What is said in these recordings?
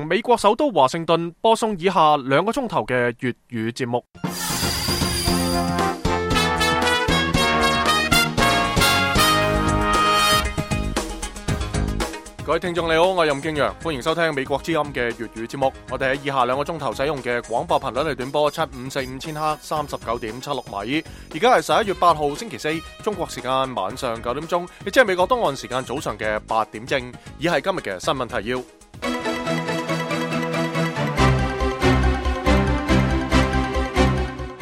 從美國首都華盛頓播送以下2個鐘頭嘅粵語節目。各位聽眾你好，我係任敬陽，歡迎收聽美國之音嘅粵語節目。我哋喺以下2個鐘頭使用嘅廣播頻率係短波7545千赫 39.76 米。而家係11月8號星期4，中國時間晚上9點鐘，亦即係美國東岸時間早上嘅8點正。以下係今日嘅新聞提要。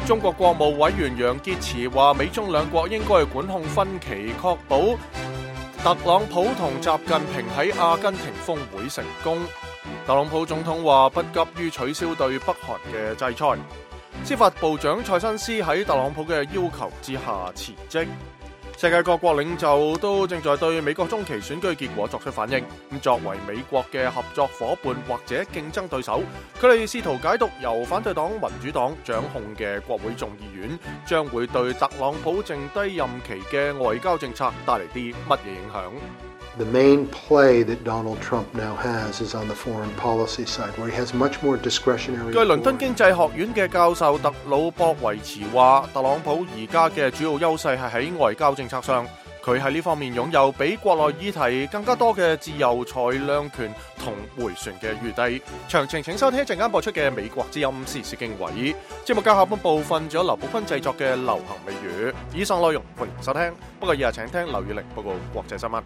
中國國務委員楊潔篪話，美中兩國應該管控分歧，確保特朗普同習近平喺阿根廷峰會成功。特朗普總統話不急於取消對北韓嘅制裁。司法部長塞申斯喺特朗普嘅要求之下辭職。世界各國領袖都正在對美國中期選舉結果作出反應。咁作為美國嘅合作夥伴或者競爭對手，佢哋試圖解讀由反對黨民主黨掌控嘅國會眾議院將會對特朗普剩低任期嘅外交政策帶嚟啲乜嘢影響。The main play that Donald Trump now has is on the foreign policy side, where he has much more discretionary. 據倫敦經濟學院嘅教授特魯博維茨話，特朗普而家嘅主要優勢係喺外交政策上，佢喺呢方面擁有比國內議題更加多嘅自由裁量權同迴旋嘅餘地。詳情請收聽一陣間播出嘅美國之音時事經緯。節目嘅下半部分仲有劉寶坤製作嘅流行美語。以上內容歡迎收聽，不過以下請聽劉宇玲報告國際新聞。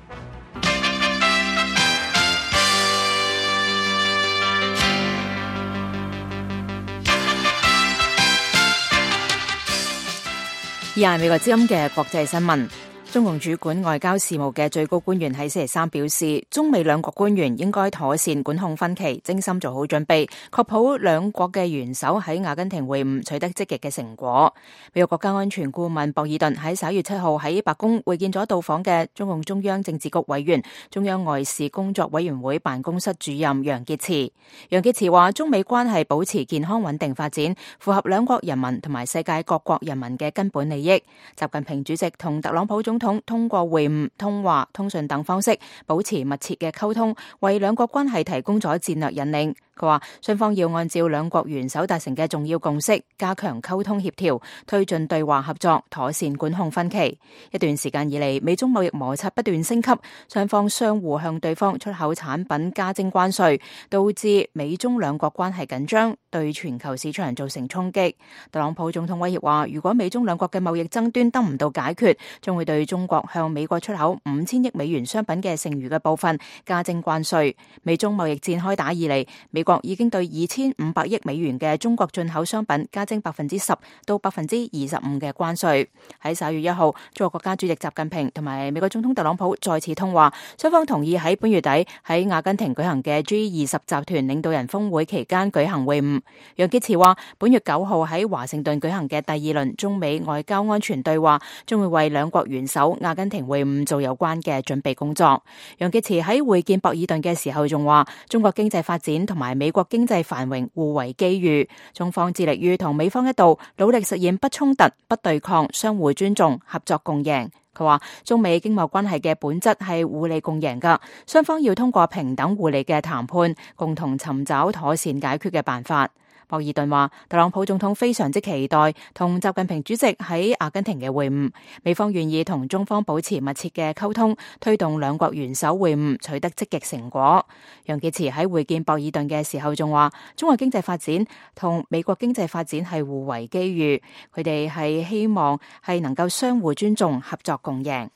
以下係美國之音嘅國際新聞。中共主管外交事務嘅最高官員喺星期三表示，中美兩國官員應該妥善管控分歧，精心做好準備，確保兩國嘅元首喺阿根廷會晤取得積極嘅成果。美國國家安全顧問博爾頓喺11月7號喺白宮會見咗到訪嘅中共中央政治局委員、中央外事工作委員會辦公室主任楊潔篪。楊潔篪話，中美關係保持健康穩定發展，符合兩國人民同埋世界各國人民嘅根本利益。習近平主席同特朗普總統通過會晤、通話、通訊等方式保持密切嘅溝通，為兩國關係提供咗戰略引領。佢話雙方要按照兩國元首達成嘅重要共識，加強溝通協調，推進對話合作，妥善管控分歧。一段時間以嚟，美中貿易摩擦不斷升級，雙方相互向對方出口產品加徵關稅，導致美中兩國關係緊張，對全球市場造成衝擊。特朗普總統威脅話，如果美中兩國嘅貿易爭端得唔到解決，將會對中國向美國出口5000億美元商品嘅剩餘嘅部分加徵關稅。美中貿易戰開打以嚟，美國已經對2500億美元嘅中國進口商品加徵10%到25%嘅關稅。喺11月1號，中國國家主席習近平同埋美國總統特朗普再次通話，雙方同意喺本月底喺阿根廷舉行嘅 G20 集團領導人峰會期間舉行會晤。楊潔篪話，本月9號喺華盛頓舉行嘅第2輪中美外交安全對話，將會為兩國元首阿根廷會晤做有關嘅準備工作。楊潔篪喺會見博爾頓嘅時候仲話，中國經濟發展同埋美國經濟繁榮互為機遇，中方致力於同美方一道努力實現不衝突、不對抗、相互尊重、合作共贏。佢話中美經貿關係嘅本質係互利共贏㗎，雙方要通過平等互利嘅談判，共同尋找妥善解決嘅辦法。博爾頓話，特朗普總統非常之期待同習近平主席喺阿根廷嘅會晤，美方願意同中方保持密切嘅溝通，推動兩國元首會晤取得積極成果。楊潔篪喺會見博爾頓嘅時候仲話，中國經濟發展同美國經濟發展係互為機遇，佢哋係希望係能夠相互尊重、合作共贏。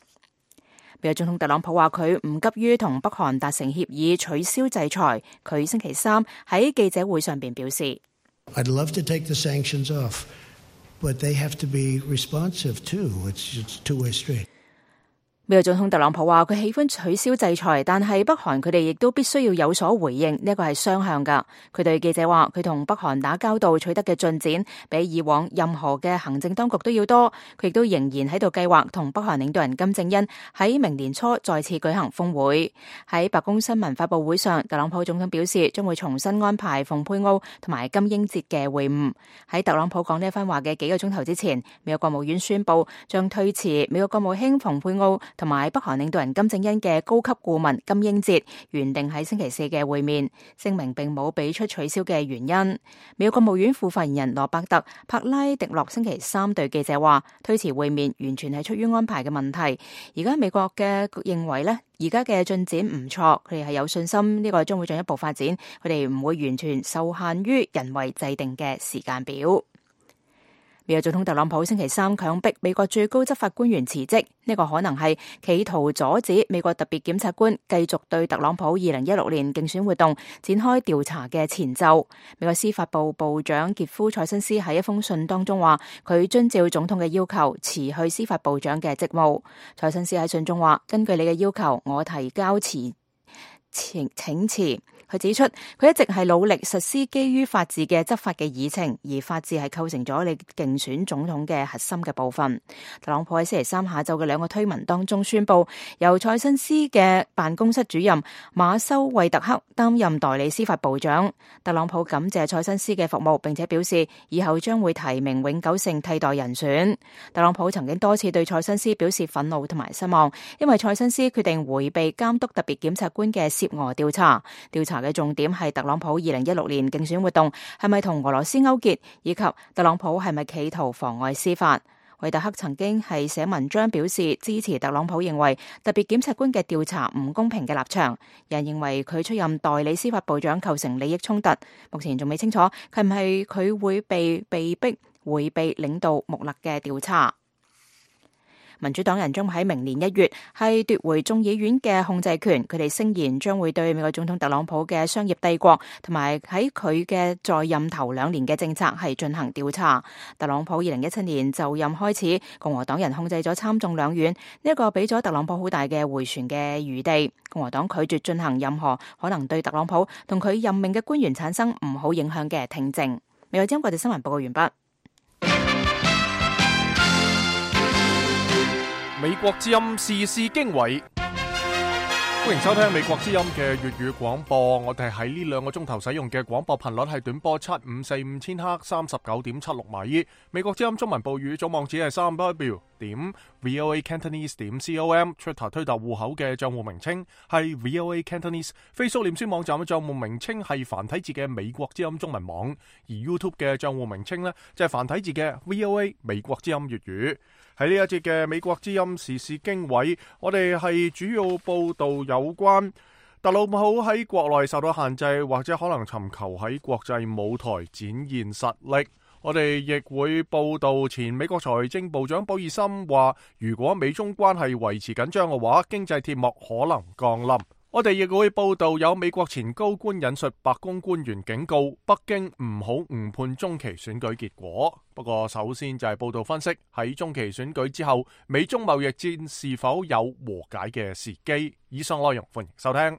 美國總統特朗普話佢唔急於同北韓達成協議取消制裁，佢星期三喺記者會上邊表示，I'd love to take the sanctions off, but they have to be responsive too. It's a two-way street. 美國總統特朗普話佢喜歡取消制裁，但係北韓佢哋亦都必須要有所回應，呢個係雙向噶。佢對記者話佢同北韓打交道取得嘅進展比以往任何嘅行政當局都要多，佢亦都仍然喺度計劃同北韓領導人金正恩喺明年初再次舉行峰會。喺白宮新聞發佈會上，特朗普總統表示將會重新安排蓬佩奧同埋金英哲嘅會晤。喺特朗普講呢一番話嘅幾個鐘頭之前，美國國務院宣布將推遲美國國務卿蓬佩奧同埋北韓領導人金正恩嘅高級顧問金英哲原定喺星期四嘅會面，聲明並冇俾出取消嘅原因。美國國務院副發言人羅伯特·柏拉迪諾星期三對記者話，推遲會面完全係出於安排嘅問題。而家美國嘅認為呢，而家嘅進展唔錯，佢哋係有信心呢個將會進一步發展，佢哋唔會完全受限於人為制定嘅時間表。美國總統特朗普星期三強迫美國最高執法官員辭職，呢個可能係企圖阻止美國特別檢察官繼續對特朗普2016年競選活動展開調查嘅前奏。美國司法部部長傑夫·塞申斯喺一封信當中話，佢遵照總統嘅要求辭去司法部長嘅職務。塞申斯喺信中話，根據你嘅要求，我提交請辭。佢指出，佢一直係努力實施基於法治嘅執法嘅議程，而法治係構成咗你競選總統嘅核心嘅部分。特朗普喺星期三下晝嘅2個推文當中宣布，由塞申斯嘅辦公室主任馬修惠特克擔任代理司法部長。特朗普感謝塞申斯嘅服務，並且表示以後將會提名永久性替代人選。特朗普曾經多次對塞申斯表示憤怒同埋失望，因為塞申斯決定迴避監督特別檢察官嘅涉俄調查。調查嘅重點係特朗普2016年競選活動係咪同俄羅斯勾結，以及特朗普係咪企圖妨礙司法。惠特克曾經係寫文章表示支持特朗普認為特別檢察官嘅調查唔公平嘅立場，有人認為佢出任代理司法部長構成利益衝突，目前仲未清楚係唔係佢會被逼迴避領導穆勒嘅調查。民主黨人將喺明年1月係奪回眾議院嘅控制權，佢哋聲言將會對美國總統特朗普嘅商業帝國同埋喺佢嘅在任頭2年嘅政策係進行調查。特朗普2017年就任開始，共和黨人控制咗參眾兩院，呢一個俾咗特朗普好大嘅迴旋嘅餘地。共和黨拒絕進行任何可能對特朗普同佢任命嘅官員產生唔好影響嘅聽證。美國之音國際新聞報告完畢。美國之音時事經緯，歡迎收聽美國之音嘅粵語廣播。我哋喺呢2個鐘頭使用嘅廣播頻率係短波7545千赫39.76米。美國之音中文部語總網址係3w.voacantonese.com。Twitter 推特戶口嘅賬戶名稱係 VOA Cantonese。Facebook 臉書網站嘅賬戶名稱係繁體字嘅美國之音中文網。而 YouTube 嘅賬戶名稱呢，就係繁體字嘅 VOA 美國之音粵語。喺呢一節嘅美國之音時事經緯，我哋係主要報道有關特朗普喺國內受到限制，或者可能尋求喺國際舞台展現實力。我哋亦會報道前美國財政部長鮑爾森話，如果美中關係維持緊張嘅話，經濟鐵幕可能降臨。我哋亦會報道有美國前高官引述白宮官員警告北京唔好誤判中期選舉結果。不過首先就係報道分析喺中期選舉之後，美中貿易戰是否有和解嘅時機。以上內容歡迎收聽。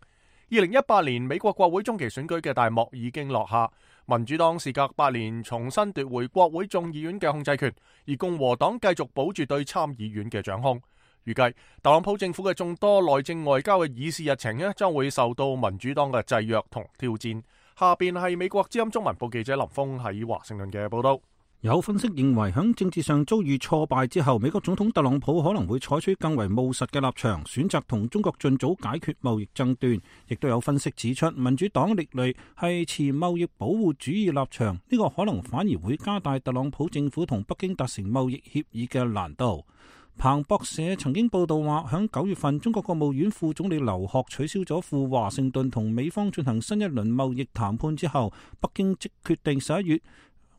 2018年美國國會中期選舉嘅大幕已經落下，民主黨時隔8年重新奪回國會眾議院嘅控制權，而共和黨繼續保住對參議院嘅掌控。預計特朗普政府嘅眾多內政外交嘅議事日程將會受到民主黨嘅制約同挑戰。下邊係美國之音中文部記者林峰喺華盛頓嘅報道。有分析認為，喺政治上遭遇挫敗之後，美國總統特朗普可能會採取更為務實嘅立場，選擇同中國盡早解決貿易爭端。亦都有分析指出，民主黨歷來係持貿易保護主義立場，呢個可能反而會加大特朗普政府同北京達成貿易協議嘅難度。彭博社曾經報道話，喺9月份，中國國務院副總理劉鶴取消咗赴華盛頓同美方進行新一輪貿易談判之後，北京即決定11月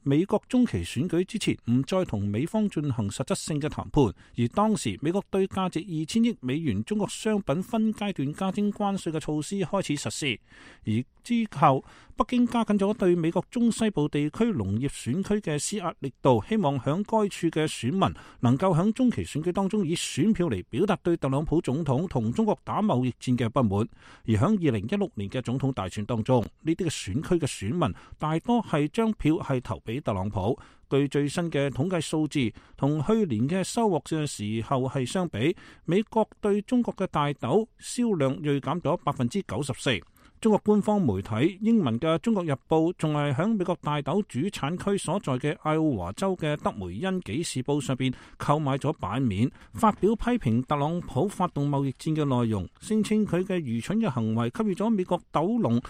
美國中期選舉之前唔再同美方進行實質性嘅談判，而當時美國對價值2000億美元中國商品分階段加徵關稅嘅措施開始實施，而之後北京加緊咗對美國中西部地區農業選區嘅施壓力度，希望響該處嘅選民能夠響中期選舉當中以選票嚟表達對特朗普總統同中國打貿易戰嘅不滿。而響2016年嘅總統大選當中，呢啲嘅選區嘅選民大多係將票係投俾特朗普。據最新嘅統計數字，同去年嘅收穫嘅時候係相比，美國對中國嘅大豆銷量銳減咗94%。中國官方媒體英文嘅《中國日報》仲係響美國大豆主產區所在嘅愛奧華州嘅德梅恩紀事報上邊購買咗版面，發表批評特朗普發動貿易戰嘅內容，聲稱佢嘅愚蠢嘅行為給予咗美國豆農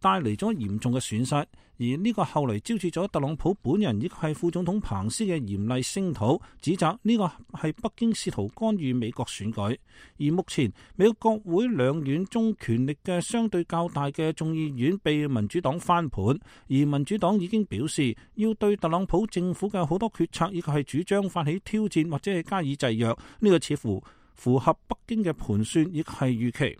帶嚟咗嚴重嘅損失，而呢個後嚟招致咗特朗普本人以及係副總統彭斯嘅嚴厲聲討，指責呢個係北京試圖干預美國選舉。而目前美國國會兩院中權力嘅相對較大嘅眾議院被民主黨翻盤，而民主黨已經表示要對特朗普政府嘅好多決策以及係主張發起挑戰或者係加以制約，呢個似乎符合北京嘅盤算亦係預期。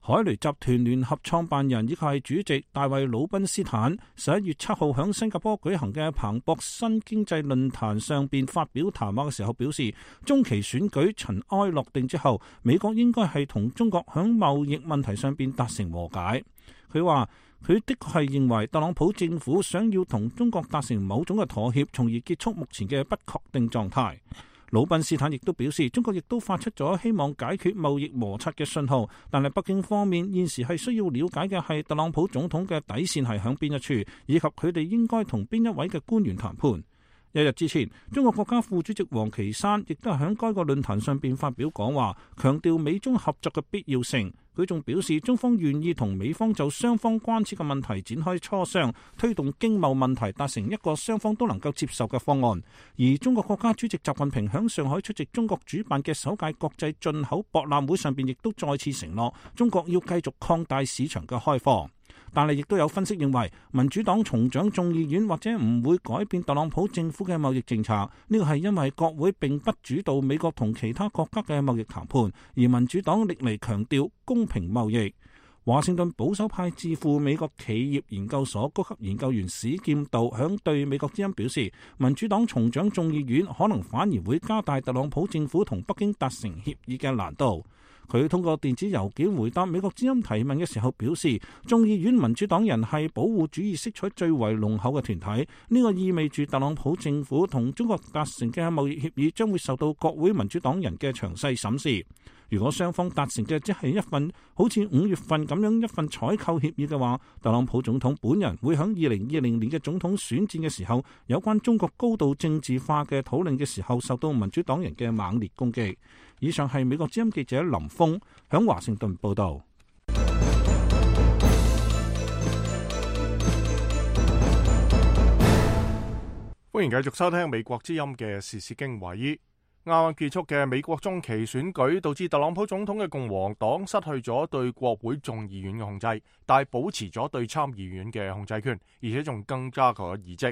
海雷集團聯合創辦人以及係主席大衛魯賓斯坦11月7號喺新加坡舉行嘅彭博新經濟論壇上邊發表談話嘅時候表示，中期選舉塵埃落定之後，美國應該係同中國喺貿易問題上邊達成和解。佢話佢的確係認為特朗普政府想要同中國達成某種嘅妥協，從而結束目前嘅不確定狀態。魯賓斯坦亦都表示，中國亦都發出咗希望解決貿易摩擦嘅信號，但係北京方面現時係需要了解嘅係特朗普總統嘅底線係響邊一處，以及佢哋應該同邊一位嘅官員談判。一日之前，中國國家副主席王岐山亦都係喺該個論壇上邊發表講話，強調美中合作嘅必要性。佢仲表示，中方願意同美方就雙方關切嘅問題展開磋商，推動經貿問題達成一個雙方都能夠接受嘅方案。而中國國家主席習近平喺上海出席中國主辦嘅首屆國際進口博覽會上邊，亦都再次承諾中國要繼續擴大市場嘅開放。但係亦都有分析認為，民主黨重掌眾議院或者唔會改變特朗普政府嘅貿易政策，呢個係因為國會並不主導美國同其他國家嘅貿易談判，而民主黨歷嚟強調公平貿易。華盛頓保守派智庫美國企業研究所高級研究員史劍道響對美國之音表示，民主黨重掌眾議院可能反而會加大特朗普政府同北京達成協議嘅難度。佢通過電子郵件回答美國之音提問嘅時候表示，眾議院民主黨人係保護主義色彩最為濃厚嘅團體，呢個意味住特朗普政府同中國達成嘅貿易協議將會受到國會民主黨人嘅詳細審視。如果雙方達成嘅只係一份好似5月份咁樣一份採購協議嘅話，特朗普總統本人會喺2020年嘅總統選戰嘅時候，有關中國高度政治化嘅討論嘅時候，受到民主黨人嘅猛烈攻擊。以上係美國之音記者林峰響華盛頓報道。歡迎繼續收聽美國之音嘅時事經緯。啱啱結束嘅美國中期選舉導致特朗普總統嘅共和黨失去咗對國會眾議院嘅控制，但係保持咗對參議院嘅控制權，而且仲增加咗議席。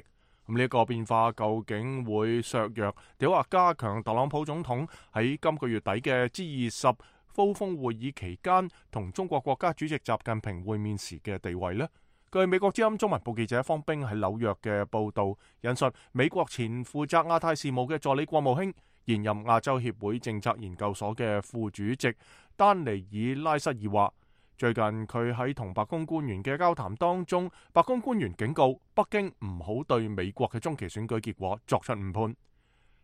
咁呢一個變化究竟會削弱定或加強特朗普總統喺今個月底嘅 G20 高峰會議期間同中國國家主席習近平會面時嘅地位呢？據美國之音中文部記者方冰喺紐約嘅報道，引述美國前負責亞太事務嘅助理國務卿、現任亞洲協會政策研究所嘅副主席丹尼爾拉塞爾話，最近佢喺同白宮官員嘅交談當中，白宮官員警告北京唔好對美國嘅中期選舉結果作出誤判。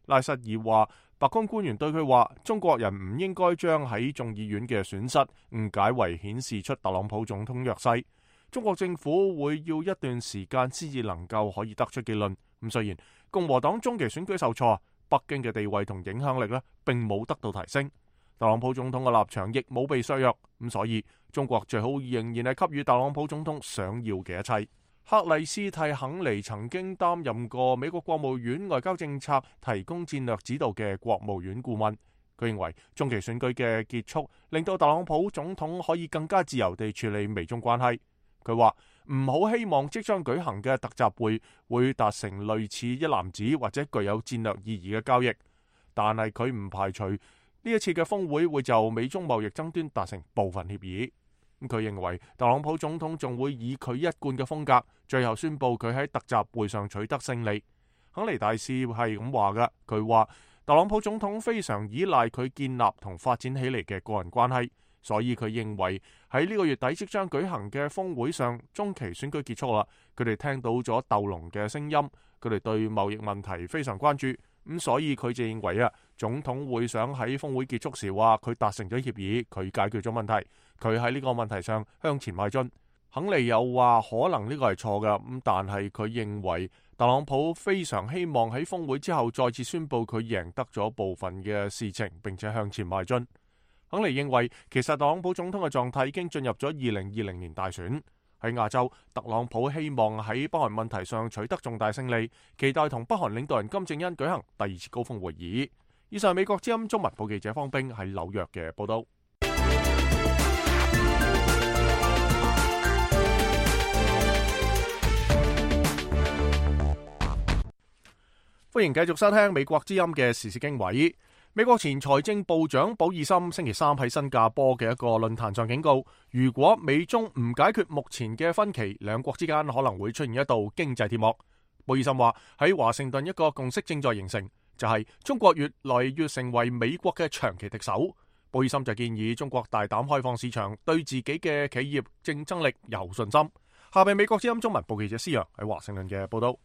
拉塞爾話，白宮官員對佢話，中國人唔應該將喺眾議院嘅損失誤解為顯示出特朗普總統弱勢。中國政府會要一段時間先至能夠可以得出結論。咁雖然共和黨中期選舉受挫，北京嘅地位同影響力並冇得到提升，特朗普總統嘅立場亦冇被削弱。咁所以中國最好仍然係給予特朗普總統想要嘅一切。克里斯蒂肯尼曾經擔任過美國國務院外交政策提供戰略指導嘅國務院顧問。佢認為中期選舉嘅結束令到特朗普總統可以更加自由地處理美中關係。佢話唔好希望即將舉行嘅特集會達成類似一籃子或者具有戰略意義嘅交易，但係佢唔排除呢一次嘅峰會會就美中貿易爭端達成部分協議。佢認為特朗普總統仲會以佢一貫嘅風格，最後宣布佢喺特集會上取得勝利。肯尼大使係咁話嘅，佢話特朗普總統非常依賴佢建立同發展起嚟嘅個人關係。所以佢認為喺呢個月底即將舉行嘅峰會上，中期選舉結束啦。佢哋聽到咗鬥龍嘅聲音，佢哋對貿易問題非常關注。咁所以佢就認為總統會想喺峰會結束時話佢達成咗協議，佢解決咗問題，佢喺呢個問題上向前邁進。肯尼又話可能呢個係錯㗎，咁但係佢認為特朗普非常希望喺峰會之後再次宣佈佢贏得咗部分嘅事情，並且向前邁進。肯尼認為其實特朗普總統嘅狀態已經進入咗2020年大選。喺亞洲，特朗普希望喺北韓問題上取得重大勝利，期待同北韓領導人金正恩舉行第2次高峰會議。以上係美國之音中文部記者方冰喺紐約嘅報道。歡迎繼續收聽美國之音嘅時事經緯。美國前財政部長保爾森星期三喺新加坡嘅一個論壇上警告，如果美中唔解決目前嘅分歧，兩國之間可能會出現一道經濟鐵幕。保爾森話喺華盛頓一個共識正在形成，就係中國越來越成為美國嘅長期敵手。保爾森就建議中國大膽開放市場，對自己嘅企業競爭力有信心。下邊美國之音中文部記者施洋喺華盛頓嘅報道。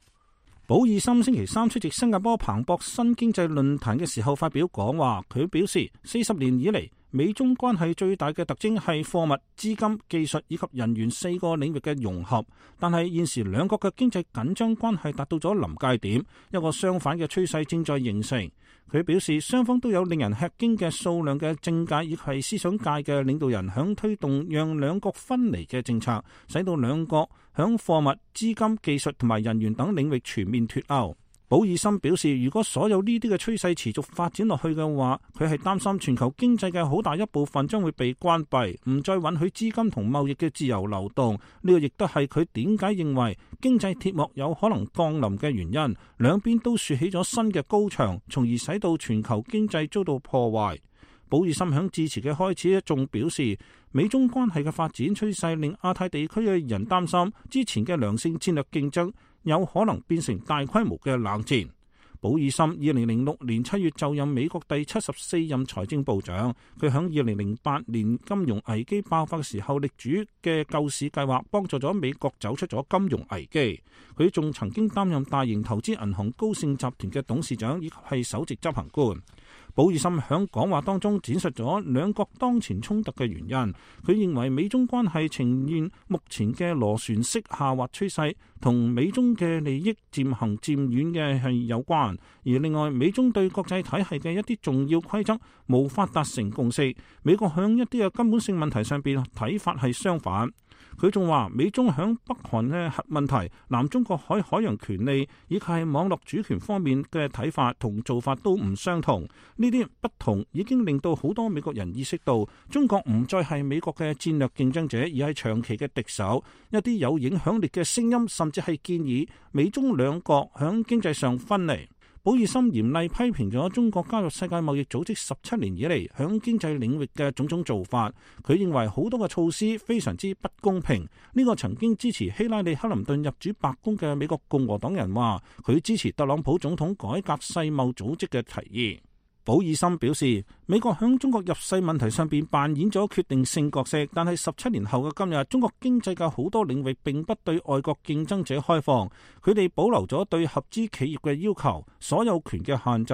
保爾森星期三出席新加坡彭博新經濟論壇嘅時候發表講話，佢表示40年以嚟，美中關係最大嘅特徵係貨物、資金、技術以及人員4個領域嘅融合，但係現時兩國嘅經濟緊張關係達到咗臨界點，一個相反嘅趨勢正在形成。佢表示雙方都有令人吃驚嘅數量嘅政界以及思想界嘅領導人響推動讓兩國分離嘅政策，使到兩國響貨物、資金、技術同埋人員等領域全面脫鈎。保爾森表示，如果所有呢啲嘅趨勢持續發展落去嘅話，佢係擔心全球經濟嘅好大一部分將會被關閉，唔再允許資金同貿易嘅自由流動。呢個亦都係佢點解認為經濟鐵幕有可能降臨嘅原因。兩邊都豎起咗新嘅高牆，從而使到全球經濟遭到破壞。保爾森響致辭嘅開始仲表示，美中關係嘅發展趨勢令亞太地區嘅人擔心，之前嘅良性戰略競爭有可能變成大規模嘅冷戰。保爾森2006年7月就任美國第74任財政部長，佢響2008年金融危機爆發嘅時候力主嘅救市計劃，幫助咗美國走出咗金融危機。佢仲曾經擔任大型投資銀行高盛集團嘅董事長，以及係首席執行官。保爾森響講話當中展述咗兩國當前衝突嘅原因。佢認為美中關係呈現目前嘅螺旋式下滑趨勢，同美中嘅利益漸行漸遠嘅係有關。而另外，美中對國際體系嘅一啲重要規則無法達成共識。美國響一啲嘅根本性問題上邊睇法係相反。佢仲話美中響北韓嘅核問題、南中國海海洋權利以及係網絡主權方面嘅睇法同做法都唔相同。呢啲不同已經令到好多美國人意識到，中國唔再係美國嘅戰略競爭者，而係長期嘅敵手。一啲有影響力嘅聲音甚至係建議美中兩國響經濟上分離。保爾森嚴厲批評咗中國加入世界貿易組織17年以嚟響經濟領域嘅種種做法。佢認為好多嘅措施非常之不公平。呢個曾經支持希拉里克林頓入主白宮嘅美國共和黨人話，佢支持特朗普總統改革世貿組織嘅提議。保爾森表示，美國響中國入世問題上邊扮演咗決定性角色，但係17年後嘅今日，中國經濟嘅好多領域並不對外國競爭者開放，佢哋保留咗對合資企業嘅要求、所有權嘅限制，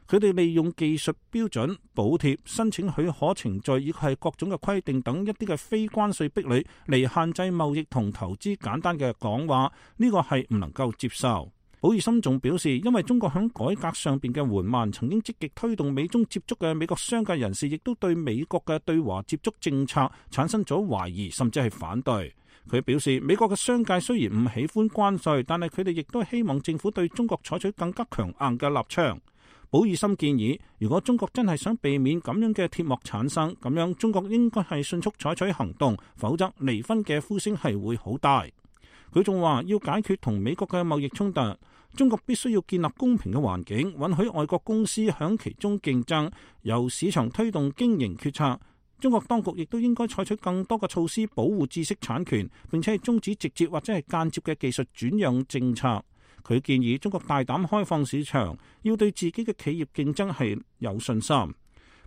佢哋利用技術標準、補貼、申請許可程序以及係各種嘅規定等一啲嘅非關稅壁壘嚟限制貿易同投資。簡單嘅講話，呢個係唔能夠接受。保爾森仲表示，因為中國響改革上邊嘅緩慢，曾經積極推動美中接觸嘅美國商界人士，亦都對美國嘅對華接觸政策產生咗懷疑，甚至係反對。佢表示，美國嘅商界雖然唔喜歡關稅，但係佢哋亦都希望政府對中國採取更加強硬嘅立場。保爾森建議，如果中國真係想避免咁樣嘅鐵幕產生，咁樣中國應該係迅速採取行動，否則離婚嘅呼聲係會好大。佢仲話，要解決同美國嘅貿易衝突，中國必須要建立公平嘅環境，允許外國公司響其中競爭，由市場推動經營決策。中國當局亦都應該採取更多嘅措施保護知識產權，並且係終止直接或者係間接嘅技術轉讓政策。佢建議中國大膽開放市場，要對自己嘅企業競爭係有信心。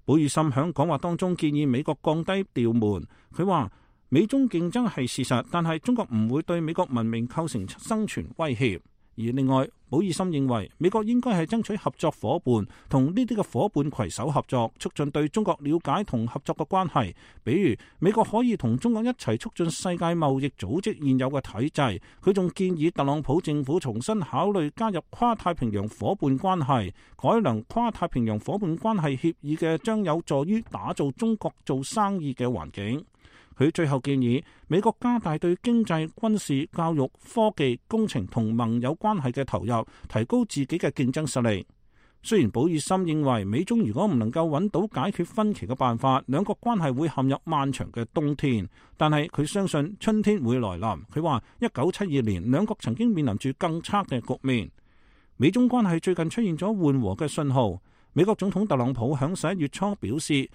保爾森響講話當中建議美國降低調門。佢話，美中競爭係事實，但係中國唔會對美國文明構成生存威脅。而另外，保爾森認為美國應該係爭取合作夥伴，同呢啲嘅夥伴攜手合作，促進對中國了解同合作嘅關係。比如，美國可以同中國一齊促進世界貿易組織現有嘅體制。佢仲建議特朗普政府重新考慮加入跨太平洋夥伴關係，改良跨太平洋夥伴關係協議嘅，將有助於打造中國做生意嘅環境。佢最後建議美國加大對經濟、軍事、教育、科技、工程同盟友關係嘅投入，提高自己嘅競爭實力。雖然保爾森認為美中如果唔能夠揾到解決分歧嘅辦法，兩國關係會陷入漫長嘅冬天，但係佢相信春天會來臨。佢話1972年兩國曾經面臨住更差嘅局面。美中關係最近出現咗緩和嘅信號。美國總統特朗普響11月初表示，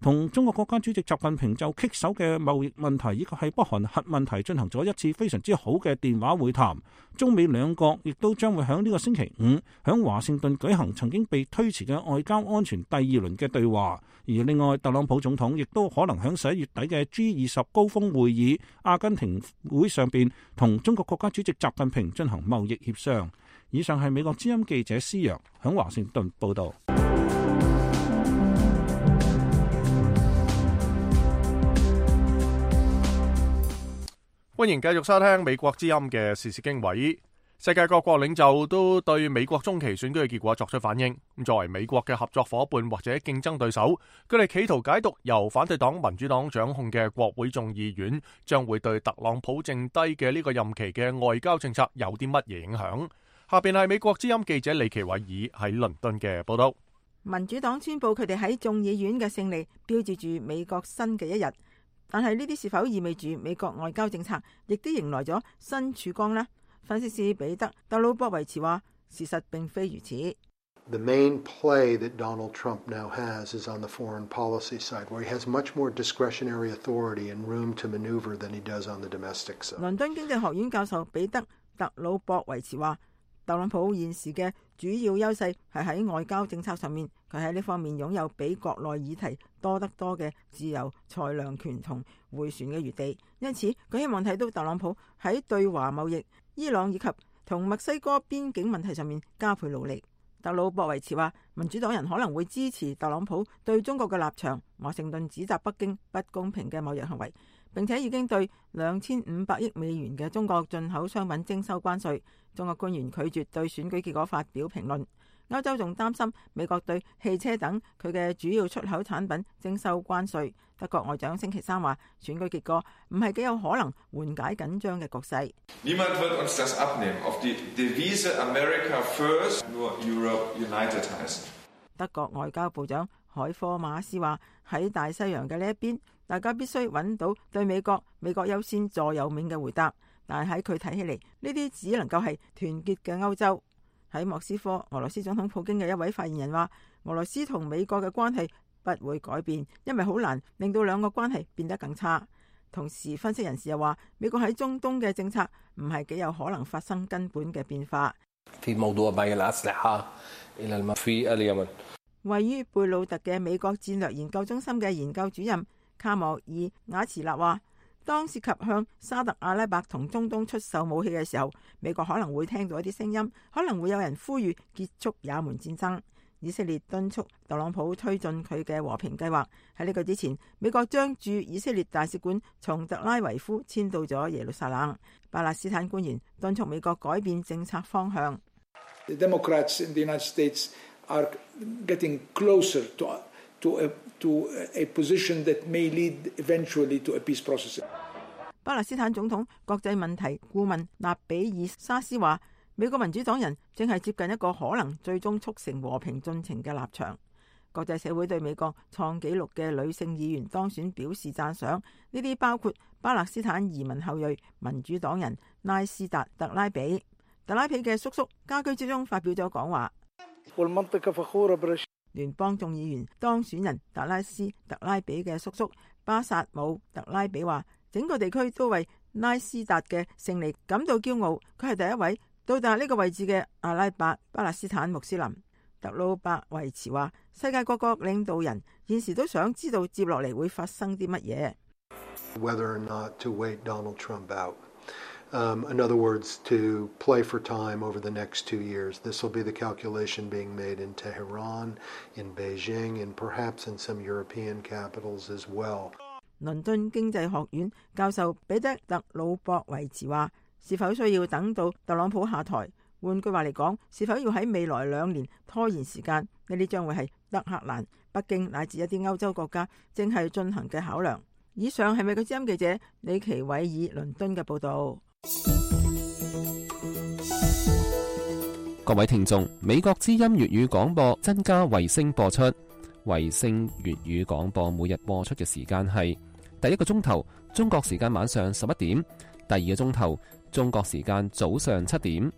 同中國國家主席習近平就棘手嘅貿易問題以及係北韓核問題進行咗一次非常之好嘅電話會談。中美兩國亦都將會喺呢個星期五喺華盛頓舉行曾經被推遲嘅外交安全第二輪嘅對話。而另外，特朗普總統亦都可能喺11月底嘅 G20 高峰會議阿根廷會上邊同中國國家主席習近平進行貿易協商。以上係美國之音記者施陽喺華盛頓報道。歡迎繼續收聽美國之音嘅時事經緯。世界各國領袖都對美國中期選舉嘅結果作出反應。作為美國嘅合作夥伴或者競爭對手，佢哋企圖解讀由反對黨民主黨掌控嘅國會眾議院將會對特朗普剩低嘅呢個任期嘅外交政策有啲乜嘢影響。下邊係美國之音記者李奇偉爾喺倫敦嘅報道。民主黨宣布佢哋喺眾議院嘅勝利，標誌住美國新嘅一日。但係呢啲是否意味住美國外交政策亦都迎來咗新曙光呢？分析師彼得·特魯博維茨話：事實並非如此。The main play that Donald Trump now has is on the foreign policy side, where he has much more discretionary authority and room to maneuver than he does on the domestic side. 倫敦經濟學院教授彼得·特魯博維茨話：特朗普現時嘅主要優勢係喺外交政策上面，佢喺呢方面擁有比國內議題多得多嘅自由裁量權同迴旋嘅餘地，因此佢希望睇到特朗普喺對華貿易、伊朗以及同墨西哥邊境問題上面加倍努力。特魯博維茨話，民主黨人可能會支持特朗普對中國嘅立場，華盛頓指責北京不公平嘅貿易行為，並且已經對2500億美元嘅中國進口商品徵收關稅。中國官員拒絕對選舉結果發表評論。歐洲仲擔心美國對汽車等佢嘅主要出口產品徵收關稅。德國外長星期三話，選舉結果唔係幾有可能緩解緊張嘅局勢。Niemand wird uns das abnehmen. Auf die Devise America first, nur Europe united heißt. 德國外交部長海科馬斯話，喺大西洋嘅呢一邊，大家必須揾到對美國優先座右銘嘅回答。但係喺佢睇起嚟，呢啲只能夠係團結嘅歐洲。喺莫斯科，俄羅斯總統普京嘅一位發言人話，俄羅斯同美國嘅關係不會改變，因為好難令到兩個關係變得更差。同時，分析人士又話，美國喺中東嘅政策唔係幾有可能發生根本嘅變化。位於貝魯特嘅美國戰略研究中心嘅研究主任卡莫爾瓦茨納話，當涉及向沙特阿拉伯同中東出售武器嘅時候，美國可能會聽到一啲聲音，可能會有人呼籲結束也門戰爭。以色列敦促特朗普推進佢嘅和平計劃。喺呢個之前，美國將駐以色列大使館從特拉維夫遷到咗耶路撒冷。巴勒斯坦官員敦促美國改變政策方向。The Democrats in the United States are getting closer to a position that may lead eventually to a peace process. 巴勒斯坦總統國際問題顧問納比爾沙斯話，美國民主黨人正係接近一個可能最終促成和平進程嘅立場。國際社會對美國創紀錄嘅女性議員當選表示讚賞，呢啲包括巴勒斯坦移民後裔民主黨人拉斯達特拉比。特拉比嘅叔叔家居之中發表咗講話。聯邦眾議員當選人達拉斯特拉比嘅叔叔巴薩姆特拉比話，整個地區都為拉斯達嘅勝利感到驕傲。佢係第一位到達呢個位置嘅阿拉伯巴勒斯坦穆斯林。特魯伯維茨話，世界各國領導人現時都想知道接落嚟會發生啲乜嘢。Whether or not to wait Donald Trump out. In other words, to play for time over the next 2 years. This will be the calculation being made in Tehran, in Beijing, and perhaps in some European capitals as well. 倫敦經濟學院教授彼得特魯博維茨話：是否需要等到特朗普下台？換句話嚟講，是否要喺未來2年拖延時間？呢啲將會係德黑蘭、北京乃至一啲歐洲國家正係進行嘅考量。以上係美國之音記者李奇偉爾倫敦嘅報導。各位聽眾，美國之音粵語廣播增加衛星播出。衛星粵語廣播每日播出嘅時間係第一個鐘頭中國時間晚上11點，第二個鐘頭中國時間早上7點。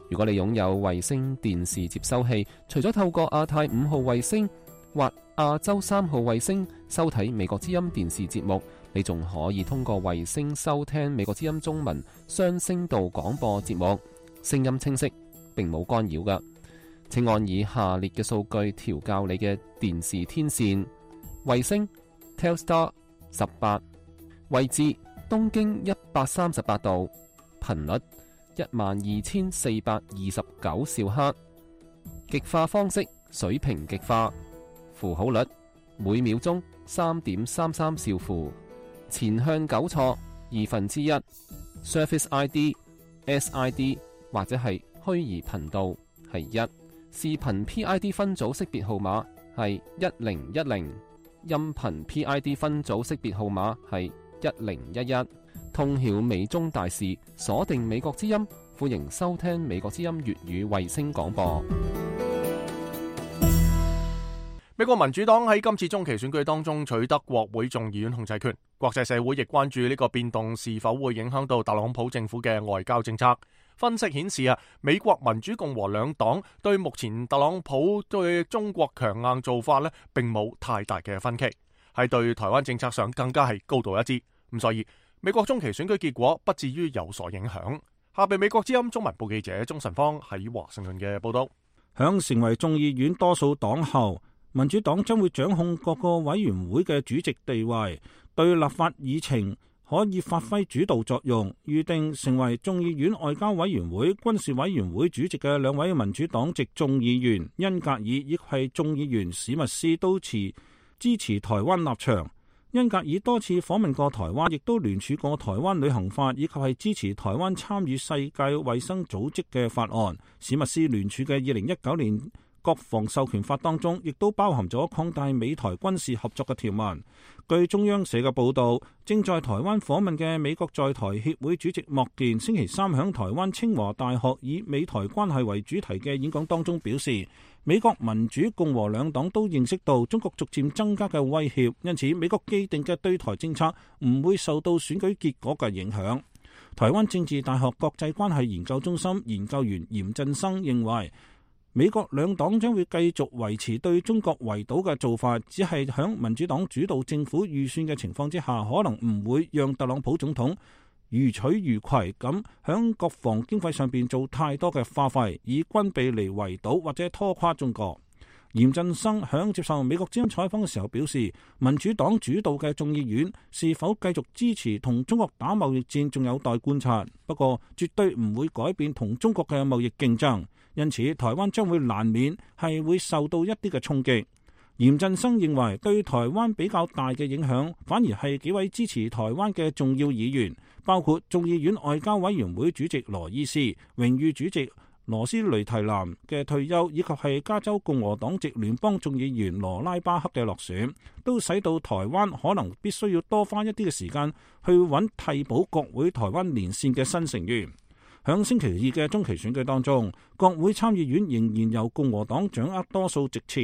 如果你擁有衛星電視接收器，除咗透過亞太5號衛星或亞洲3號衛星收睇美國之音電視節目，你仲可以通過衛星收聽美國之音中文雙聲道廣播節目，聲音清晰，並冇干擾㗎。請按以下列嘅數據調校你嘅電視天線：衛星 Telstar 18，位置東經138度，頻率12429兆赫，極化方式水平極化，符號率每秒鐘3.33兆符，前向糾錯1/2， Surface ID、SID 或者係虛擬頻道係1，視頻 PID 分組識別號碼係1010，音頻 PID 分組識別號碼係1011。通曉美中大事，鎖定美國之音，歡迎收聽美國之音粵語衛星廣播。美國民主黨喺今次中期選舉當中取得國會眾議院控制權，國際社會亦關注呢個變動是否會影響到特朗普政府嘅外交政策。分析顯示美國民主共和兩黨對目前特朗普對中國強硬做法並冇太大嘅分歧，喺對台灣政策上更加係高度一致。咁所以美國中期選舉結果不至於有所影響。下邊美國之音中文部記者鍾晨芳喺華盛頓嘅報道。響成為眾議院多數黨後，民主黨將會掌控各個委員會嘅主席地位，對立法議程可以發揮主導作用。預定成為眾議院外交委員會、軍事委員會主席嘅兩位民主黨籍眾議員恩格爾亦係眾議員史密斯都支持台灣立場。恩格爾多次訪問過台灣，亦都聯署過台灣旅行法，以及係支持台灣參與世界衛生組織嘅法案。史密斯聯署嘅2019年國防授權法當中，亦都包含咗擴大美台軍事合作嘅條文。據中央社嘅報導，正在台灣訪問嘅美國在台協會主席莫健星期三響台灣清華大學以美台關係為主題嘅演講當中表示，美國民主共和兩黨都認識到中國逐漸增加嘅威脅，因此美國既定嘅對台政策唔會受到選舉結果嘅影響。台灣政治大學國際關係研究中心研究員嚴振生認為，美國兩黨將會繼續維持對中國圍堵嘅做法，只係響民主黨主導政府預算嘅情況之下，可能唔會讓特朗普總統如取如攜咁響國防經費上邊做太多嘅花費，以軍備嚟圍堵或者拖垮中國。嚴振生響接受美國之音採訪嘅時候表示，民主黨主導嘅眾議院是否繼續支持同中國打貿易戰仲有待觀察，不過絕對唔會改變同中國嘅貿易競爭，因此台灣將會難免係會受到一啲嘅衝擊。嚴振生認為對台灣比較大嘅影響反而係幾位支持台灣嘅重要議員，包括眾議院外交委員會主席羅伊斯、榮譽主席羅斯雷提南嘅退休，以及係加州共和黨籍聯邦眾議員羅拉巴克嘅落選，都使到台灣可能必須要多花一啲嘅時間去揾替補國會台灣連線嘅新成員。響星期二嘅中期選舉當中，國會參議院仍然由共和黨掌握多數席次，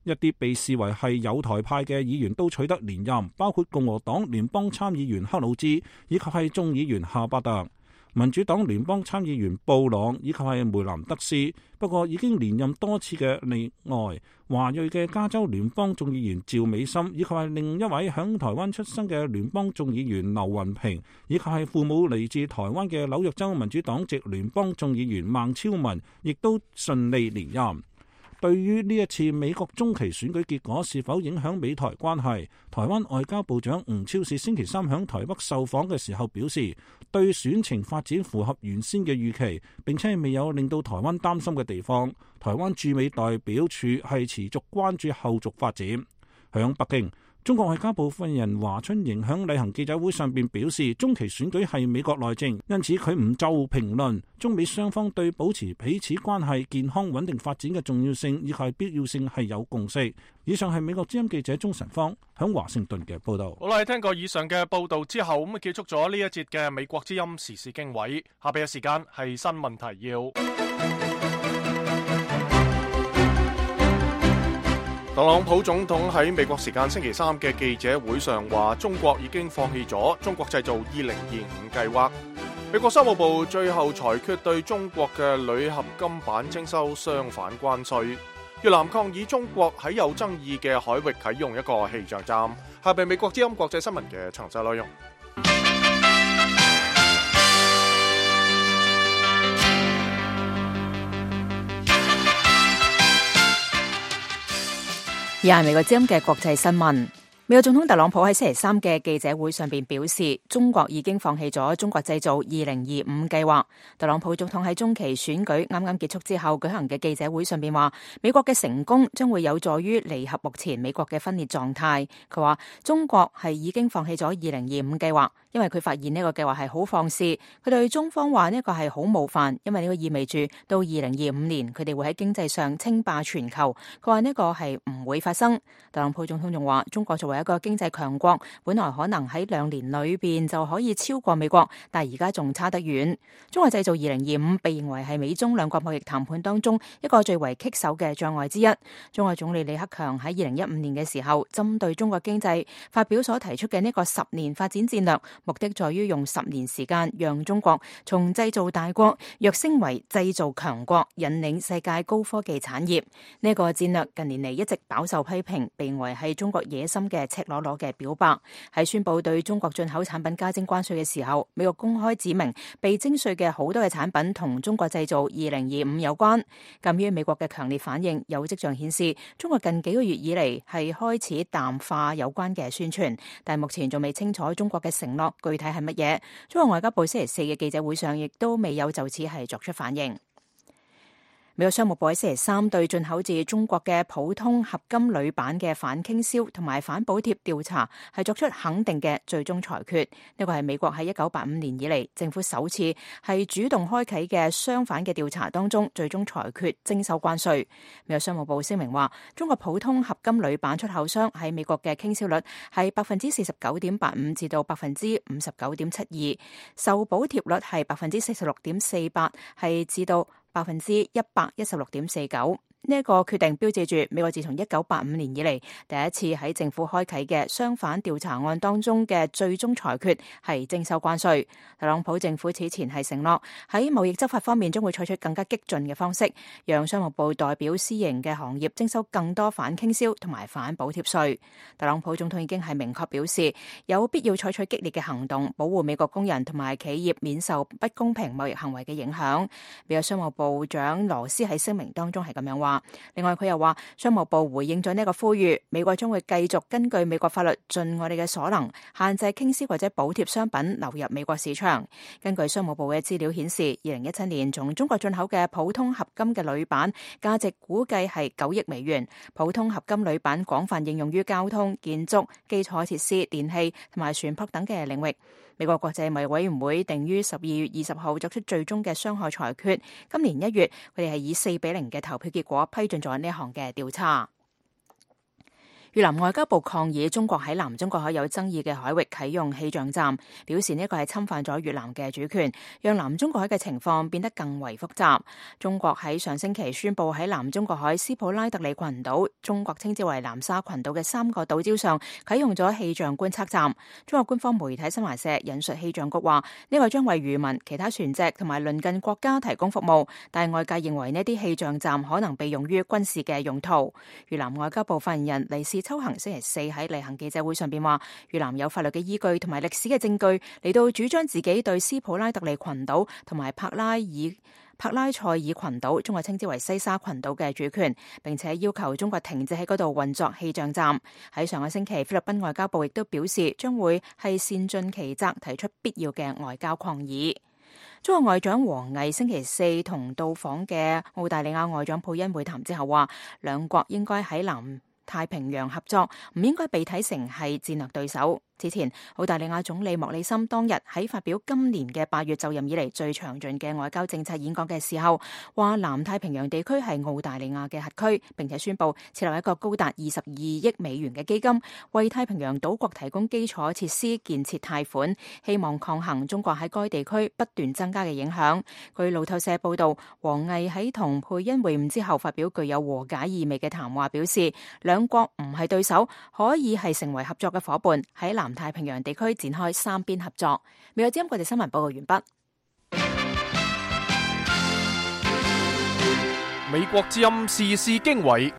一啲被視為係友台派嘅議員都取得連任，包括共和黨聯邦參議員克魯茲以及係眾議員夏巴特。民主黨聯邦參議員布朗以及係梅蘭德斯，不過已經連任多次嘅例外，華裔嘅加州聯邦眾議員趙美心，以及係另一位響台灣出生嘅聯邦眾議員劉雲平，以及係父母嚟自台灣嘅紐約州民主黨籍聯邦眾議員孟超文，亦都順利連任。對於呢一次美國中期選舉結果是否影響美台關係，台灣外交部長吳釗燮星期三響台北受訪嘅時候表示，對選情發展符合原先嘅預期，並且未有令到台灣擔心嘅地方。台灣駐美代表處係持續關注後續發展。響北京，中國外交部發言人華春瑩響例行記者會上邊表示，中期選舉係美國內政，因此佢唔就評論中美雙方對保持彼此關係健康穩定發展嘅重要性以及必要性係有共識。以上係美國之音記者鍾晨芳響華盛頓嘅報道。好啦，聽過以上嘅報道之後，咁啊結束咗呢一節嘅美國之音時事經緯。下邊嘅時間係新聞提要。特朗普總統喺美國時間星期三嘅記者會上話，中國已經放棄咗中國製造2025計劃。美國商務部最後裁決對中國嘅鋁合金板徵收相反關稅。越南抗議中國喺有爭議嘅海域啟用一個氣象站。下邊美國之音國際新聞嘅詳細內容。而係美國之音嘅國際新聞。美國總統特朗普喺星期三嘅記者會上邊表示，中國已經放棄咗中國製造2025計劃。特朗普總統喺中期選舉啱啱結束之後舉行嘅記者會上邊話，美國嘅成功將會有助於彌合目前美國嘅分裂狀態。佢話中國係已經放棄咗2025計劃，因為佢發現呢個計劃係好放肆。佢對中方話呢個係好冒犯，因為呢個意味住到2025年佢哋會喺經濟上稱霸全球。佢話呢個係唔會發生。特朗普總統仲話，中國作為一個經濟強國，本來可能喺2年裏邊就可以超過美國，但係而家仲差得遠。中國製造2025被認為係美中兩國貿易談判當中一個最為棘手嘅障礙之一。中國總理李克強喺2015年嘅時候，針對中國經濟發表所提出嘅呢個10年發展戰略，目的在於用10年時間，讓中國從製造大國躍升為製造強國，引領世界高科技產業。呢個戰略近年嚟一直飽受批評，被認為係中國野心嘅赤裸裸嘅表白。喺宣布對中國進口產品加徵關稅嘅時候，美國公開指明被徵稅嘅好多嘅產品同中國製造2025有關。鑒於美國嘅強烈反應，有跡象顯示中國近幾個月以嚟係開始淡化有關嘅宣傳，但目前仲未清楚中國嘅承諾具體係乜嘢。中國外交部星期四嘅記者會上亦都未有就此係作出反應。美國商務部喺星期三對進口自中國嘅普通合金鋁板嘅反傾銷同埋反補貼調查係作出肯定嘅最終裁決。呢個係美國喺1985年以嚟政府首次係主動開啟嘅相反嘅調查當中最終裁決徵收關稅。美國商務部聲明話，中國普通合金鋁板出口商喺美國嘅傾銷率係49.85%至到59.72%，受補貼率係46.48%，係至到116.49%。呢一個決定標誌住美國自從1985年以嚟第一次喺政府開啟嘅相反調查案當中嘅最終裁決係徵收關稅。特朗普政府此前係承諾喺貿易執法方面將會採取更加激進嘅方式，讓商務部代表私營嘅行業徵收更多反傾銷同埋反補貼稅。特朗普總統已經係明確表示有必要採取激烈嘅行動，保護美國工人同埋企業免受不公平貿易行為嘅影響。美國商務部長羅斯喺聲明當中係咁樣話。另外佢又話，商務部回應咗呢個呼籲，美國將會繼續根據美國法律盡我哋嘅所能，限制傾銷或者補貼商品流入美國市場。根據商務部嘅資料顯示，2017年從中國進口嘅普通合金嘅鋁板價值估計係9億美元。普通合金鋁板廣泛應用於交通、建築、基礎設施、電器同埋船舶等嘅領域。美國國際貿易委員會定於12月20號作出最終嘅傷害裁決。今年1月，佢哋係以4-0嘅投票結果批准咗呢一項嘅調查。越南外交部抗議中國喺南中國海有爭議嘅海域啟用氣象站，表示呢個係侵犯咗越南嘅主權，讓南中國海嘅情況變得更為複雜。中國喺上星期宣布喺南中國海斯普拉特里群島，中國稱之為南沙群島嘅3個島礁上啟用咗氣象觀測站。中國官方媒體新華社引述氣象局話，呢個將為漁民、其他船隻同埋鄰近國家提供服務，但係外界認為呢啲氣象站可能被用於軍事嘅用途。越南外交部發言人黎氏秋行星期四喺例行記者會上邊話，越南有法律嘅依據同埋歷史嘅證據嚟到主張自己對斯普拉特里群島同埋帕拉爾帕拉塞爾群島，中國稱之為西沙群島嘅主權，並且要求中國停止喺嗰度運作氣象站。喺上個星期，菲律賓外交部亦都表示將會係善盡其責，提出必要嘅外交抗議。中國外長王毅星期四同到訪嘅澳大利亞外長佩恩會談之後話，兩國應該喺南太平洋合作，唔應該被睇成係戰略對手。之前，澳大利亞總理莫里森當日喺發表今年嘅8月就任以嚟最詳盡嘅外交政策演講嘅時候，話南太平洋地區係澳大利亞嘅核區，並且宣布設立一個高達22億美元嘅基金，為太平洋島國提供基礎設施建設貸款，希望抗衡中國喺該地區不斷增加嘅影響。據路透社報道，王毅喺同佩恩會晤之後發表具有和解意味嘅談話，表示兩國唔係對手，可以係成為合作嘅夥伴，喺南太平洋地區展開三邊合作。美國之音國際新聞報告完畢。美國之音時事經緯。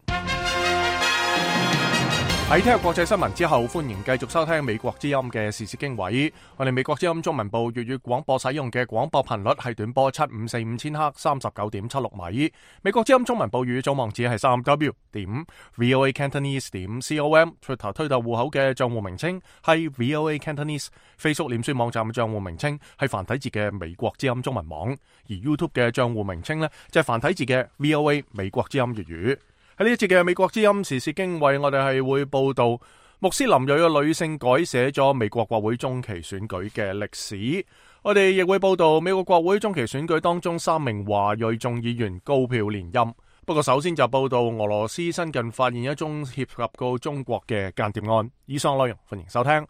喺聽日國際新聞之後，歡迎繼續收聽美國之音嘅時事經緯。我哋美國之音中文部粵語廣播使用嘅廣播頻率係短波7545千赫39.76米。美國之音中文部粵語總網址係3w.voacantonese.com。Twitter 推特戶口嘅賬戶名稱係 VOA Cantonese。Facebook 臉書網站嘅賬戶名稱係繁體字嘅美國之音中文網。而 YouTube 嘅賬戶名稱呢，就係繁體字嘅 VOA 美國之音粵語。喺呢一節嘅美國之音時事經緯，我哋係會報道穆斯林裔嘅女性改寫咗美國國會中期選舉嘅歷史。我哋亦會報道美國國會中期選舉當中3名華裔眾議員高票連任。不過首先就報道俄羅斯新近發現一宗涉及到中國嘅間諜案。以上內容歡迎收聽。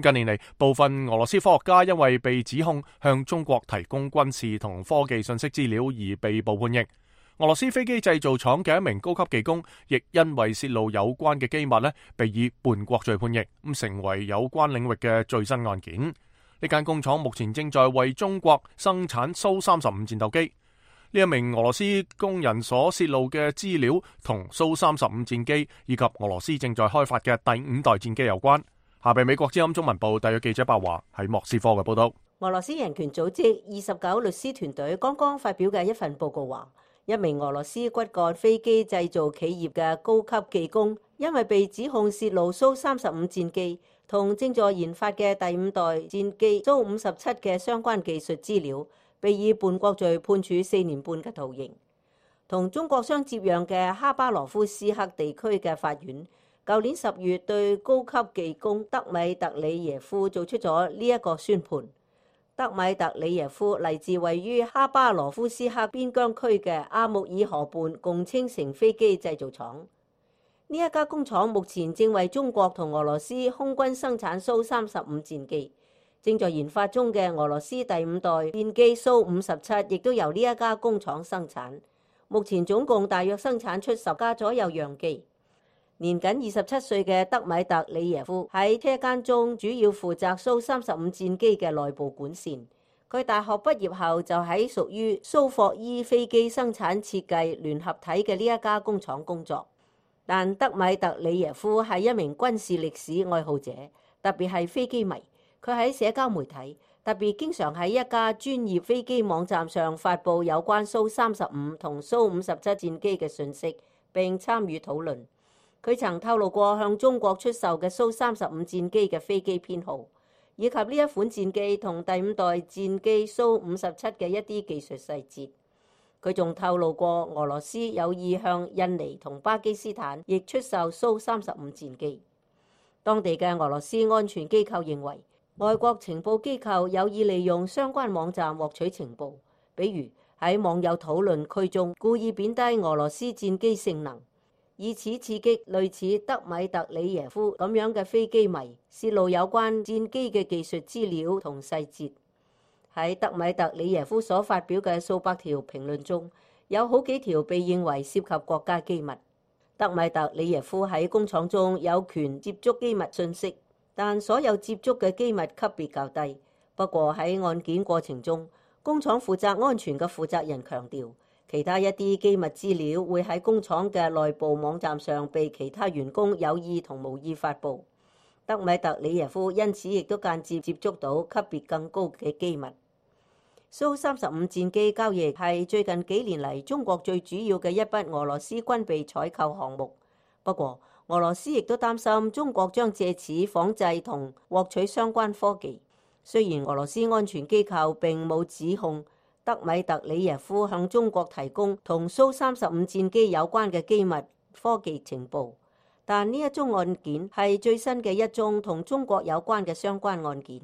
近年嚟，部分俄羅斯科學家因為被指控向中國提供軍事同科技信息資料而被捕判刑。俄羅斯飛機製造廠嘅一名高級技工，亦因為泄露有關嘅機密被以叛國罪判刑，成為有關領域嘅最新案件。呢間工廠目前正在為中國生產蘇35戰鬥機。呢一名俄羅斯工人所泄露嘅資料同蘇35戰機以及俄羅斯正在開發嘅第5代戰機有關。下邊美國之音中文部特約記者白華喺莫斯科嘅報道。俄羅斯人權組織29律師團隊剛剛發表嘅一份報告話，一名俄羅斯骨幹飛機製造企業嘅高級技工，因為被指控泄露蘇35戰機同正在研發嘅第5代戰機蘇57嘅相關技術資料，被以叛國罪判處4年半嘅徒刑。同中國相接壤嘅哈巴羅夫斯克地區嘅法院，舊年10月對高級技工德米特里耶夫做出咗呢一個宣判。德米特里耶夫嚟自位於哈巴羅夫斯克邊疆區嘅阿穆爾河畔共青城飛機製造廠。呢一家工廠目前正為中國同俄羅斯空軍生產蘇35戰機，正在研發中嘅俄羅斯第5代戰機蘇57亦都由呢一家工廠生產。目前總共大約生產出10架左右樣機。年僅27歲嘅德米特里耶夫喺車間中主要負責蘇35戰機嘅內部管線。佢大學畢業後就喺屬於蘇霍伊飛機生產設計聯合體嘅呢一家工廠工作。但德米特里耶夫係一名軍事歷史愛好者，特別係飛機迷。佢喺社交媒體，特別經常喺一家專業飛機網站上發布有關蘇35同蘇57戰機嘅信息，並參與討論。佢曾透露過向中國出售嘅蘇35戰機嘅飛機編號，以及呢一款戰機同第5代戰機蘇57嘅一啲技術細節。佢仲透露過俄羅斯有意向印尼同巴基斯坦亦出售蘇35戰機。當地嘅俄羅斯安全機構認為，外國情報機構有意利用相關網站獲取情報，比如喺網友討論區中故意貶低俄羅斯戰機性能，以此刺激類似德米特里耶夫咁樣嘅飛機迷，泄露有關戰機嘅技術資料同細節。喺德米特里耶夫所發表嘅數百條評論中，有好幾條被認為涉及國家機密。德米特里耶夫喺工廠中有權接觸機密信息，但所有接觸嘅機密級別較低。不過喺案件過程中，工廠負責安全嘅負責人強調，其他一啲機密資料會喺工廠嘅內部網站上被其他員工有意同無意發布。德米特里耶夫因此亦都間接接觸到級別更高嘅機密。蘇35戰機交易係最近幾年嚟中國最主要嘅一筆俄羅斯軍備採購項目。不過，俄羅斯亦都擔心中國將借此仿製同獲取相關科技。雖然俄羅斯安全機構並冇指控德米特里耶夫向中國提供同蘇35戰機有關嘅機密科技情報，但呢一宗案件係最新嘅一宗同中國有關嘅相關案件。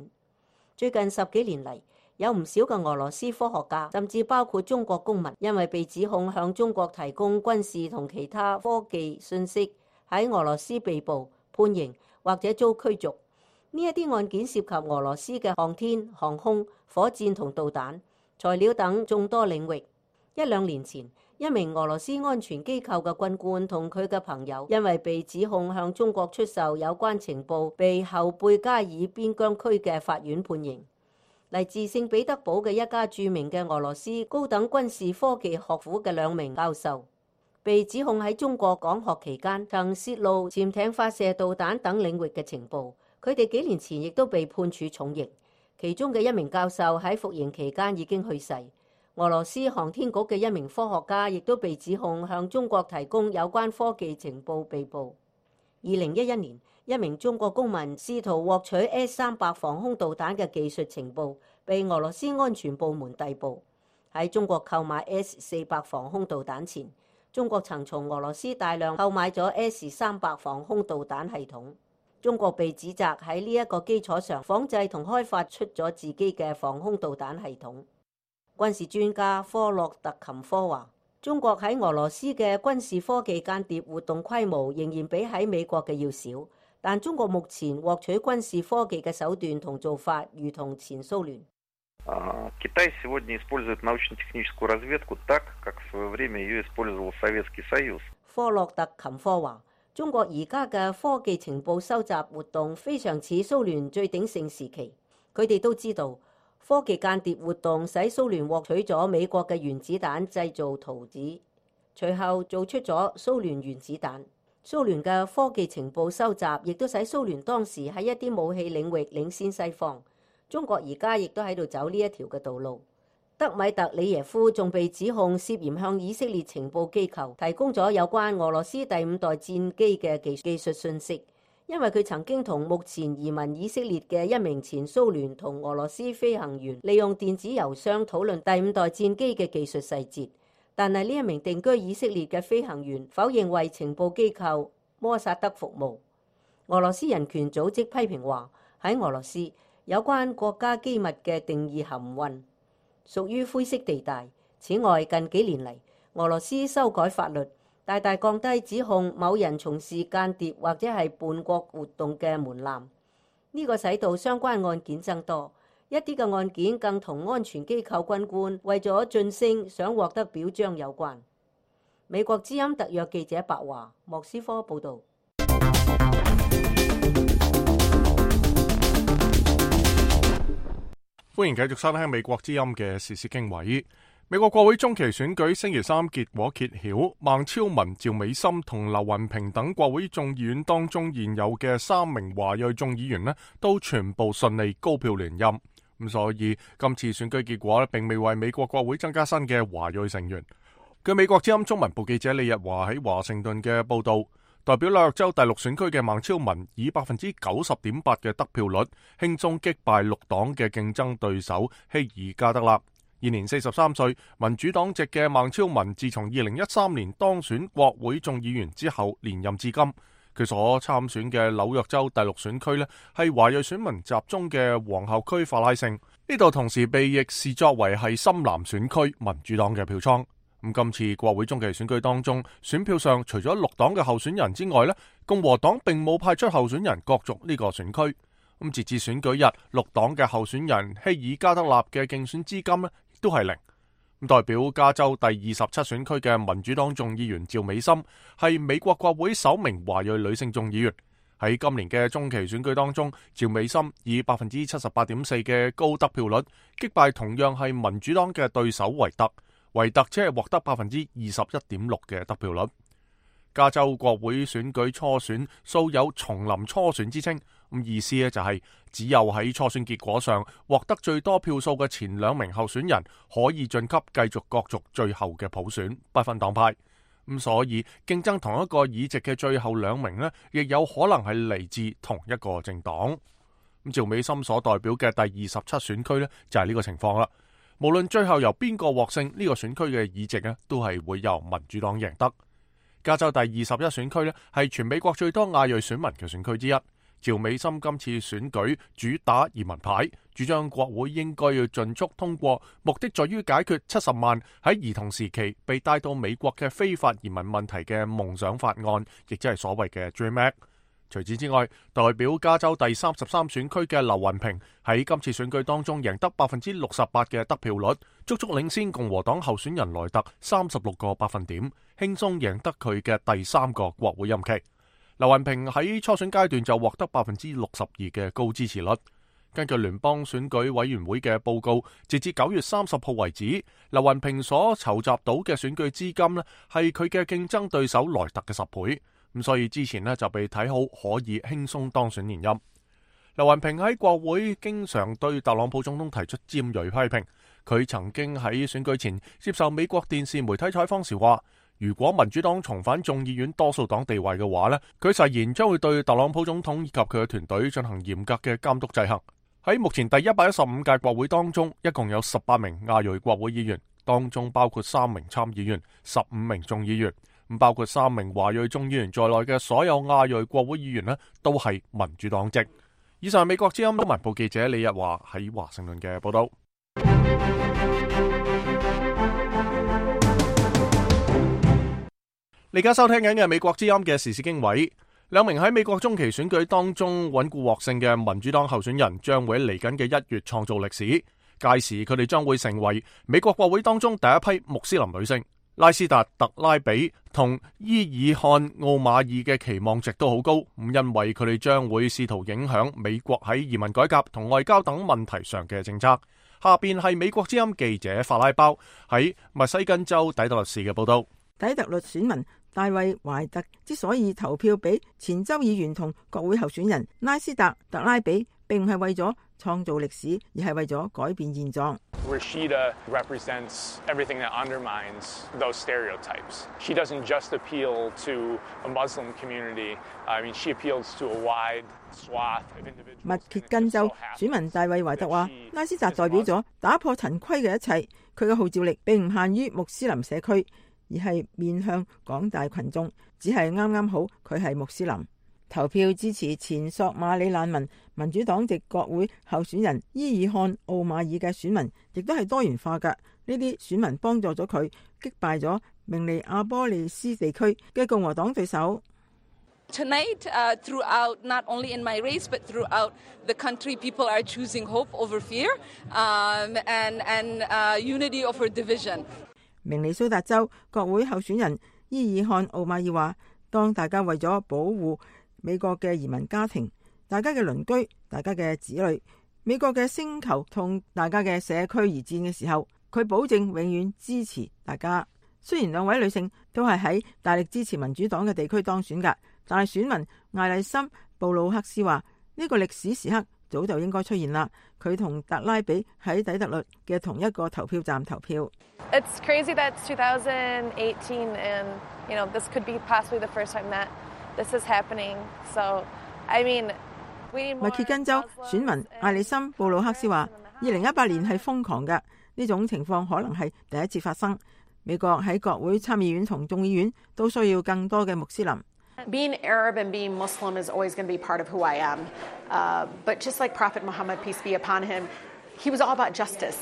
最近10幾年嚟，有唔少嘅俄羅斯科學家，甚至包括中國公民，因為被指控向中國提供軍事同其他科技信息，喺俄羅斯被捕、判刑或者遭驅逐。呢一啲案件涉及俄羅斯嘅航天、航空、火箭同導彈、材料等眾多領域。1-2年前，一名俄羅斯安全機構嘅軍官同佢嘅朋友，因為被指控向中國出售有關情報，被後貝加爾邊疆區嘅法院判刑。嚟自聖彼得堡嘅一家著名嘅俄羅斯高等軍事科技學府嘅2名教授，被指控喺中國講學期間曾泄露潛艇發射導彈等領域嘅情報。佢哋幾年前亦都被判處重刑，其中嘅一名教授喺服刑期間已經去世。俄羅斯航天局嘅一名科學家亦都被指控向中國提供有關科技情報被捕。2011年，一名中國公民試圖獲取 S-300防空導彈嘅技術情報，被俄羅斯安全部門逮捕。喺中國購買 S-400防空導彈前，中國曾從俄羅斯大量購買咗 S-300防空導彈系統。中國被指責喺呢一個基礎上仿製同開發出咗自己嘅防空導彈系統。軍事專家科洛特琴科話，中國喺俄羅斯嘅軍事科技間諜活動規模仍然比喺美國嘅要少，但中國目前獲取軍事科技嘅手段同做法如同前蘇聯。Китай сегодня использует научно-техническую разведку так, как в свое время ее использовал Советский Союз。科洛特琴科話，中國而家嘅科技情報收集活動非常似蘇聯最鼎盛時期。佢哋都知道，科技間諜活動使蘇聯獲取咗美國嘅原子彈製造圖紙，隨後做出咗蘇聯原子彈。蘇聯嘅科技情報收集亦都使蘇聯當時喺一啲武器領域領先西方。中國而家亦都喺度走呢一條嘅道路。德米特里耶夫仲被指控涉嫌向以色列情報機構提供咗有關俄羅斯第5代戰機嘅技術信息，因為佢曾經同目前移民以色列嘅一名前蘇聯同俄羅斯飛行員利用電子郵箱討論第5代戰機嘅技術細節。但係呢一名定居以色列嘅飛行員否認為情報機構摩薩德服務。俄羅斯人權組織批評話，喺俄羅斯有關國家機密嘅定義含混，屬於灰色地帶。此外，近幾年嚟，俄羅斯修改法律，大大降低指控某人從事間諜或者係叛國活動嘅門檻。呢個使到相關案件增多，一啲嘅案件更同安全機構軍官為咗晉升想獲得表彰有關。美國之音特約記者白華，莫斯科報導。歡迎繼續收聽美國之音嘅時事經緯。美國國會中期選舉星期三結果揭曉，孟超文、趙美心同劉雲平等國會眾議院當中現有嘅3名華裔眾議員都全部順利高票連任。咁所以今次選舉結果並未為美國國會增加新嘅華裔成員。據美國之音中文部記者李日華喺華盛頓嘅報道，代表紐約州第6選區嘅孟超文以 90.8% 嘅得票率輕鬆擊敗綠黨嘅競爭對手希爾加德納。現年43歲，民主黨籍嘅孟超文自從2013年當選國會眾議員之後連任至今。佢所參選嘅紐約州第6選區係華裔選民集中嘅皇后區法拉盛，呢度同時被亦視作為係深藍選區民主黨嘅票倉。咁今次國會中期選舉當中，選票上除咗綠黨嘅候選人之外，共和黨並冇派出候選人角逐呢個選區。咁截至選舉日，綠黨嘅候選人希爾加德納嘅競選資金亦都係零。咁代表加州第27選區嘅民主黨眾議員趙美心係美國國會首名華裔女性眾議員。喺今年嘅中期選舉當中，趙美心以 78.4% 嘅高得票率擊敗同樣係民主黨嘅對手維特。維特只係獲得 21.6% 嘅得票率。加州國會選舉初選素有叢林初選之稱，咁意思咧就係只有喺初選結果上獲得最多票數嘅前2名候選人可以晉級繼續角逐最後嘅普選，不分黨派。咁所以競爭同一個議席嘅最後2名呢，亦有可能係嚟自同一個政黨。咁趙美心所代表嘅第27選區呢，就係呢個情況啦。無論最後由邊個獲勝，呢個選區嘅議席呢，都係會由民主黨贏得。加州第21選區呢，係全美國最多亞裔選民嘅選區之一。趙美心今次選舉主打移民牌，主張國會應該要盡速通過，目的在於解決70萬喺兒童時期被帶到美國嘅非法移民問題嘅夢想法案，亦即係所謂嘅 Dream Act。除此之外，代表加州第33選區嘅劉雲平喺今次選舉當中贏得68%嘅得票率，足足領先共和黨候選人萊特36個百分點，輕鬆贏得佢嘅第3個國會任期。劉雲平喺初選階段就獲得62%嘅高支持率。根據聯邦選舉委員會嘅報告，截至9月30號為止，劉雲平所籌集到嘅選舉資金呢，係佢嘅競爭對手萊特嘅10倍。咁所以之前呢，就被睇好可以輕鬆當選連任。劉雲平喺國會經常對特朗普總統提出尖銳批評。佢曾經喺選舉前接受美國電視媒體採訪時話，如果民主黨重返眾議院多數黨地位嘅話呢，佢誓言將會對特朗普總統以及佢嘅團隊進行嚴格嘅監督制衡。喺目前第115屆國會當中，一共有18名亞裔國會議員，當中包括3名參議員、15名眾議員。包括3名華裔眾議員在內嘅所有亞裔國會議員呢，都係民主黨籍。以上係美國之音新聞部記者李日華喺華盛頓嘅報道。你而家收聽緊嘅美國之音嘅時事經緯，2名喺美國中期選舉當中穩固獲勝嘅民主黨候選人將會喺嚟緊嘅1月創造歷史，屆時佢哋將會成為美國國會當中第一批穆斯林女性。拉斯達特拉比同伊爾漢奧馬爾嘅期望值都好高，因為佢哋將會試圖影響美國喺移民改革同外交等問題上嘅政策。下邊係美國之音記者法拉包喺密西根州底特律市嘅報道。底特律選民大衛懷特之所以投票俾前州議員同國會候選人拉斯達特拉比，並唔係為咗創造歷史，而係為咗改變現狀。Rashida represents everything that undermines those stereotypes. She doesn't just appeal to a Muslim community. I mean, she appeals to a wide swath of individuals. 密歇根州選民大衛懷特話，拉斯達代表咗打破陳規嘅一切，佢嘅號召力並唔限於穆斯林社區，而係面向廣大群眾，只係啱啱好佢係穆斯林。投票支持前索馬里難民民主黨籍國會候選人伊爾漢奧馬爾嘅選民，亦都係多元化㗎。呢啲選民幫助咗佢擊敗咗明尼阿波利斯地區嘅共和黨對手。Tonight, throughout, not only in my race, but throughout the country, people are choosing hope over fear, and unity over division. 明尼蘇達州國會候選人伊爾漢奧馬爾話，當大家為咗保護美國嘅移民家庭、大家嘅鄰居、大家嘅子女、美國嘅星球同大家嘅社區而戰嘅時候，佢保證永遠支持大家。雖然2位女性都係喺大力支持民主黨嘅地區當選㗎，但係選民艾麗森布魯克斯話，呢個歷史時刻早就應該出現啦。佢同特拉比喺底特律嘅同一個投票站投票。It's crazy that it's 2018 and you know this could be possibly the first time that this is happening. So, I mean, 密歇根州選民艾利森布魯克斯話：2018年係瘋狂嘅，呢種情況可能係第一次發生。美國喺國會參議院同眾議院都需要更多嘅穆斯林。Being Arab and being Muslim is always going to be part of who I am. But just like Prophet Muhammad, peace be upon him, he was all about justice.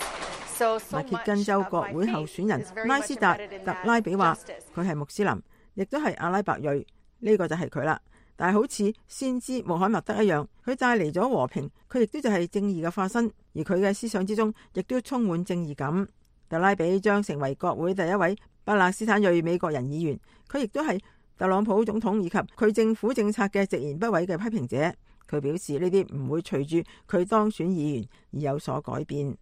密歇根州國會候選人拉斯達特拉比話：佢係穆斯林，亦都係阿拉伯裔。呢個就係佢啦，但係好似先知穆罕默德一樣，佢帶嚟咗和平，佢亦都就係正義嘅化身，而佢嘅思想之中亦都充滿正義感。特拉比將成為國會第一位巴勒斯坦裔美國人議員，佢亦都係特朗普總統以及佢政府政策嘅直言不諱嘅批評者。佢表示呢啲唔會隨住佢當選議員而有所改變。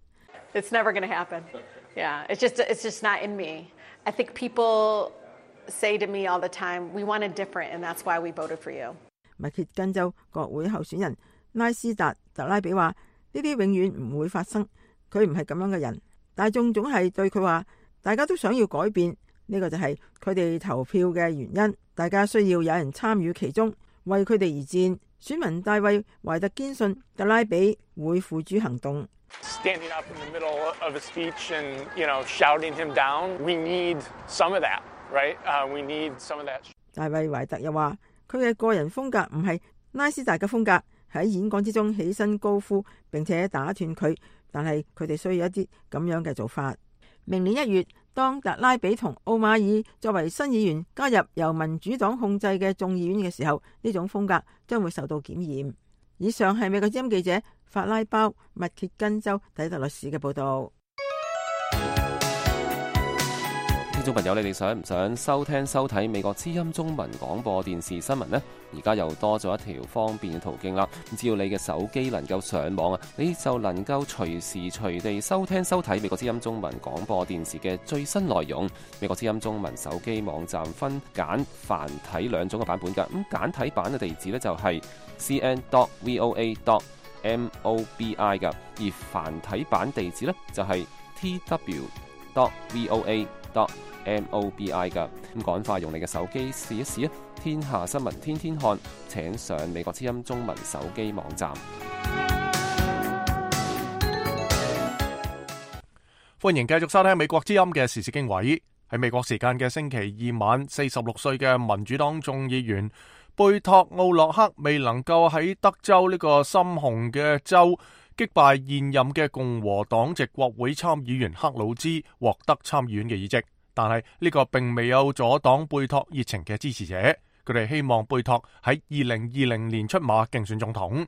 It's never going to happen. Yeah, it's just not in me. I think people say to me all the time, we wanted different, and that's why we voted for you. 密歇根州國會候選人拉斯達特拉比話：呢啲永遠唔會發生，佢唔係咁樣嘅人。大眾總係對佢話，大家都想要改變，呢個就係佢哋投票嘅原因。大家需要有人參與其中，為佢哋而戰。選民大衛懷特堅信特拉比會付諸行動。Standing up in the middle of a speech and, shouting him down, we need some of that, right? We need some of that. 大衛懷特又話，佢嘅個人風格唔係拉斯達嘅風格，喺演講之中起身高呼並且打斷佢，但係佢哋需要一啲咁樣嘅做法。明年1月，當特拉比同奧馬爾作為新議員加入由民主黨控制嘅眾議院嘅時候，呢種風格將會受到檢驗。以上係美國之音記者法拉包密歇根州底特律市嘅報道。聽眾朋友，你哋想唔想收聽收睇美國之音中文廣播電視新聞呢？而家又多咗一條方便嘅途徑啦！只要你嘅手機能夠上網啊，你就能夠隨時隨地收聽收睇美國之音中文廣播電視嘅最新內容。美國之音中文手機網站分簡繁體兩種嘅版本㗎。咁簡體版嘅地址呢，就係 cn.voa.mobi 㗎，而繁體版地址呢，就係 tw.voa.mobi 㗎。咁趕快用你嘅手機試一試啊！天下新聞天天看，請上美國之音中文手機網站。歡迎繼續收聽美國之音嘅時事經緯。喺美國時間嘅星期二晚，46歲嘅民主黨眾議員貝托奧洛克未能夠喺德州呢個深紅嘅州擊敗現任嘅共和黨籍國會參議員克魯茲，獲得參議院嘅議席。但係呢個並未有阻擋貝托熱情嘅支持者，佢哋希望貝托喺2020年出馬競選總統。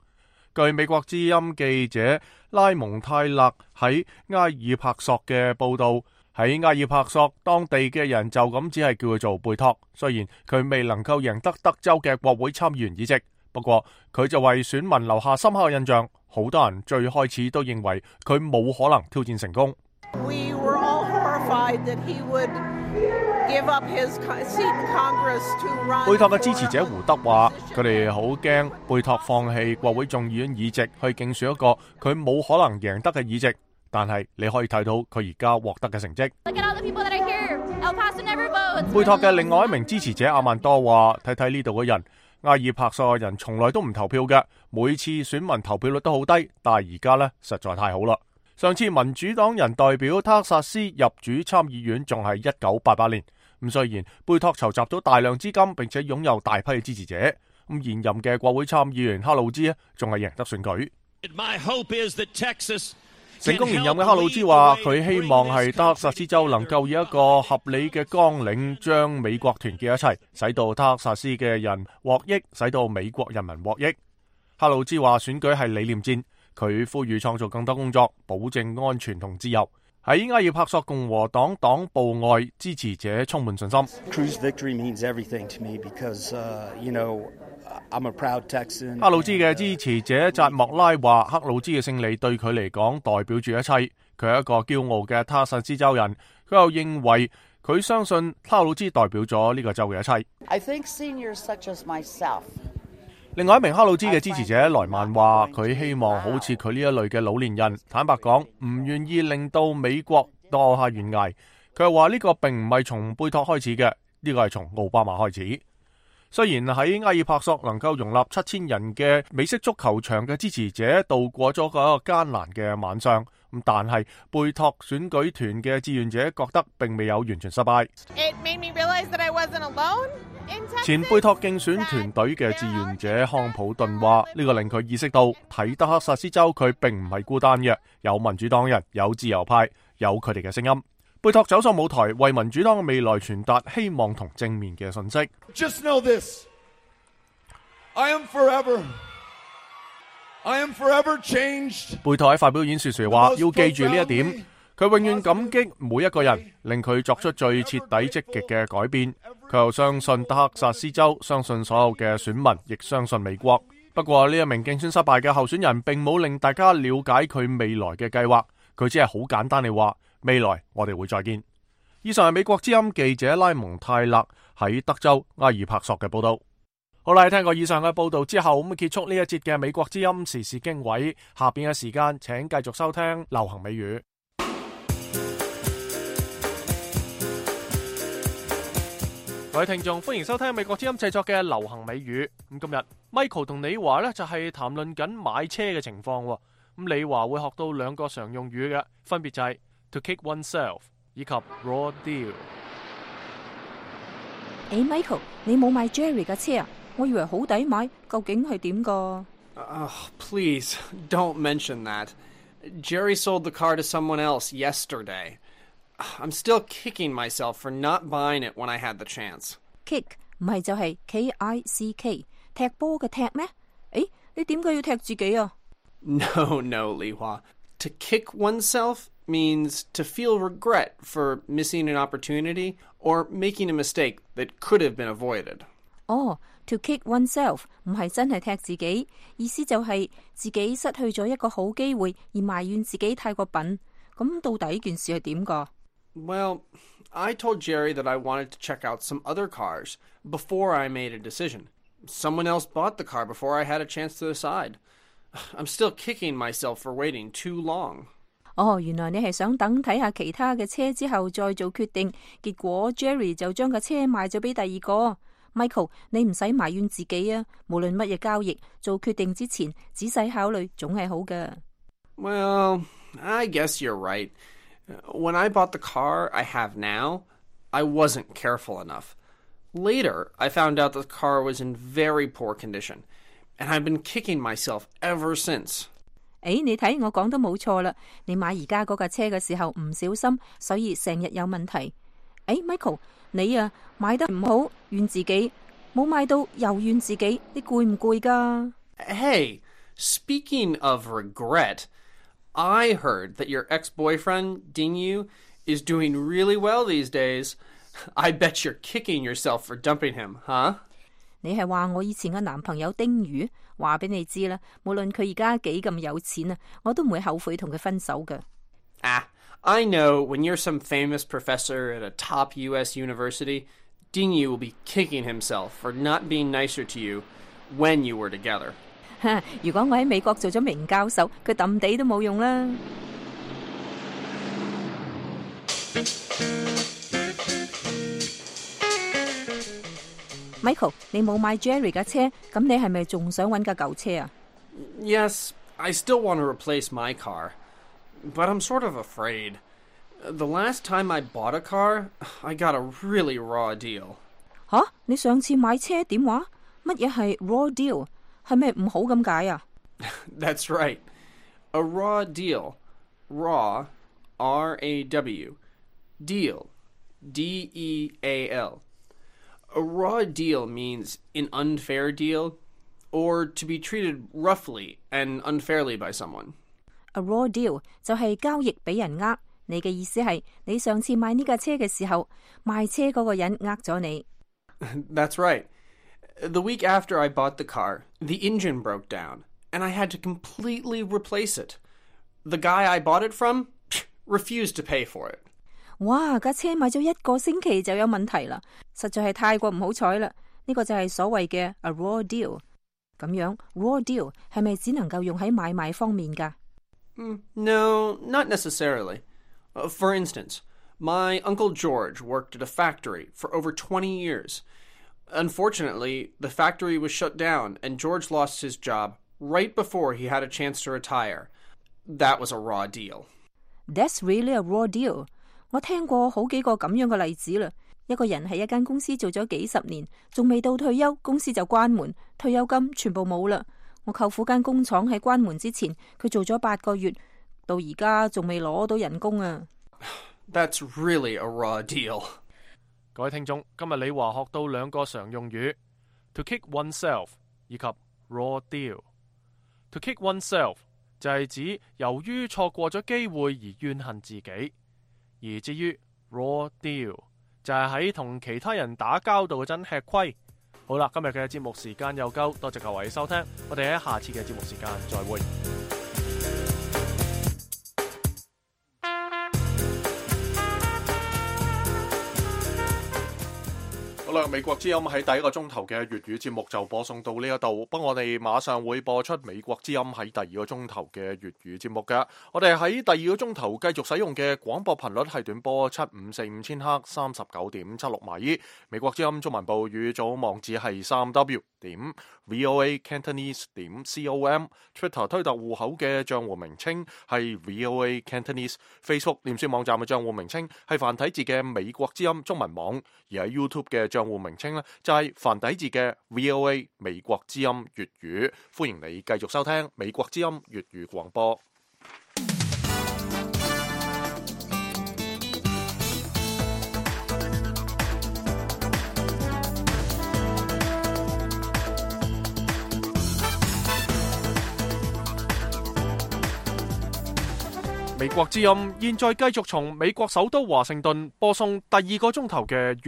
據美國之音記者拉蒙泰勒喺埃爾帕索嘅報道，喺埃爾帕索當地嘅人就咁只係叫佢做貝托，雖然佢未能夠贏得德州嘅國會參議員議席，不過佢就為選民留下深刻嘅印象。好多人最開始都認為佢冇可能挑戰成功。We were all horrified that he would give up his seat in Congress to run. 貝托嘅支持者胡德話，佢哋好驚貝托放棄國會眾議院議席去競選一個佢冇可能贏得嘅議席，但係你可以睇到佢而家獲得嘅成績。貝托嘅另外一名支持者阿曼多話，睇睇呢度嘅人，埃爾帕索嘅人從來都唔投票嘅，每次選民投票率都好低，但係而家呢，實在太好啦。上次民主黨人代表德克薩斯入主參議院仲係1988年，咁雖然貝托籌集咗大量資金，並且擁有大批嘅支持者，咁現任嘅國會參議員克魯茲仲係贏得選舉。成功連任嘅克魯茲話，佢希望係德克薩斯州能夠以一個合理嘅綱領將美國團結一齊，使到德克薩斯嘅人獲益，使到美國人民獲益。克魯茲話選舉係理念戰。佢呼籲創造更多工作，保證安全同自由。喺埃爾帕索共和黨黨部外，支持者充滿信心。克魯茲嘅支持者扎莫拉話，克魯茲嘅勝利對佢嚟講代表住一切。佢係一個驕傲嘅德克薩斯州人。佢又認為佢相信克魯茲代表咗呢個州嘅一切。I think seniors such as myself. 另外一名克魯茲嘅支持者萊曼話，佢希望好似佢呢一類嘅老年人，坦白講唔願意令到美國墮下懸崖。佢又話呢個並唔係從貝托開始嘅，呢個係從奧巴馬開始。雖然喺埃爾帕索能夠容納7000人嘅美式足球場嘅支持者度過咗個艱難嘅晚上，咁但係貝托選舉團嘅志願者覺得並未有完全失敗。It made me realize that I wasn't alone. 前貝托競選團隊嘅志願者康普頓話，呢個令佢意識到睇德克薩斯州佢並唔係孤單嘅，有民主黨人，有自由派，有佢哋嘅聲音。貝托走上舞台，為民主黨嘅未來傳達希望同正面嘅信息。Just know this. I am forever changed. 貝托喺發表演說時話，要記住呢一點，佢永遠感激每一個人，令佢作出最徹底積極嘅改變。佢又相信德克薩斯州，相信所有嘅選民，亦相信美國。不過呢一名競選失敗嘅候選人並冇令大家了解佢未來嘅計劃，佢只係好簡單地話，未來我哋會再見。以上係美國之音記者拉蒙泰勒喺德州埃爾帕索嘅報道。好啦，聽過以上嘅報道之後，咁結束呢一節嘅美國之音時事經緯。下邊嘅時間，請繼續收聽流行美語。各位聽眾，歡迎收聽美國之音製作嘅流行美語。咁今日 Michael 同李華呢，就係談論緊買車嘅情況。咁李華會學到兩個常用語嘅，分別就係 to kick oneself 以及 raw deal。Michael， 你冇買 Jerry 嘅車啊？我以為好抵買，究竟係點㗎？Please don't mention that. Jerry sold the car to someone else yesterday. I'm still kicking myself for not buying it when I had the chance. Kick 唔係就係 K-I-C-K 踢波嘅踢咩？你點解要踢自己啊？ No, Li Hua. To kick oneself means to feel regret for missing an opportunity or making a mistake that could have been avoided. To kick oneself 唔係真係踢自己，意思就係自己失去咗一個好機會而埋怨自己太過笨。咁到底件事係點㗎？Well, I told Jerry that I wanted to check out some other cars before I made a decision. Someone else bought the car before I had a chance to decide. I'm still kicking myself for waiting too long. 原來你係想等睇下其他嘅車之後再做決定，結果 Jerry 就將架車賣咗俾第二個。Michael， 你唔使埋怨自己啊！無論乜嘢交易，做決定之前仔細考慮總係好嘅。Well, I guess you're right. When I bought the car I have now, I wasn't careful enough. Later, I found out the car was in very poor condition, and I've been kicking myself ever since. 你睇我講得冇錯啦，你買而家嗰架車嘅時候唔小心，所以成日有問題。Michael， 你啊買得唔好，怨自己；冇買到又怨自己，你攰唔攰㗎？ Hey, speaking of regret, I heard that your ex-boyfriend, Dingyu, is doing really well these days. I bet you're kicking yourself for dumping him, huh? 你係話我以前嘅男朋友丁宇？話俾你知啦，無論佢而家幾咁有錢啊，我都唔會後悔同佢分手㗎。I know when you're some famous professor at a top U.S. university, Dingyu will be kicking himself for not being nicer to you when you were together. 如果我喺美國做咗名教授，佢揼地都冇用啦。Michael， 你冇買 Jerry 架車，咁你係咪仲想搵架舊車啊？ Yes, I still want to replace my car, but I'm sort of afraid. The last time I bought a car, I got a really raw deal. 你上次買車點話？乜嘢係 raw deal？ 係咪唔好咁解啊？ That's right. A raw deal. Raw, R-A-W. Deal, D-E-A-L. A raw deal means an unfair deal, or to be treated roughly and unfairly by someone. A raw deal 就係交易俾人呃，你嘅意思係你上次買呢架車嘅時候，賣車嗰個人呃咗你。That's right. The week after I bought the car, the engine broke down, and I had to completely replace it. The guy I bought it from refused to pay for it. 哇！架車買咗1個星期就有問題啦，實在係太過唔好彩啦。呢個就係所謂嘅 a raw deal。咁樣 raw deal 係咪只能夠用喺買賣方面㗎？No, not necessarily. For instance, my Uncle George worked at a factory for over 20 years. Unfortunately, the factory was shut down and George lost his job right before he had a chance to retire. That was a raw deal. That's really a raw deal. 我聽過好幾個咁樣嘅例子啦。一個人喺一間公司做咗幾十年，仲未到退休，公司就關門，退休金全部冇啦。我舅父間工廠喺關門之前，佢做咗8個月，到而家仲未攞到人工啊。That's really a raw deal. 各位聽眾，今日李華學到2個常用語 ：to kick oneself 以及 raw deal。to kick oneself 就係指由於錯過咗機會而怨恨自己。而至於 raw deal 就係喺同其他人打交道嗰陣吃虧。好啦，今日嘅節目時間又夠，多謝各位收聽，我哋喺下次嘅節目時間再會。好啦，美國之音喺第一個鐘頭嘅粵語節目就播送到呢一度，不過我哋馬上會播出美國之音喺第二個鐘頭嘅粵語節目㗎。我哋喺第二個鐘頭繼續使用嘅廣播頻率係短波7545千赫39.76米。美國之音中文部語組網址係3w.voacantonese.com，Twitter 推特戶口嘅賬戶名稱係 VOA Cantonese，Facebook 臉書網站嘅賬戶名稱係繁體字嘅美國之音中文網，而喺 YouTube 嘅賬戶名稱呢，就係繁體字嘅 VOA 美國之音粵語，歡迎你繼續收聽美國之音粵語廣播。美國之音現在繼續從美國首都華盛頓播送第二個鐘頭嘅粵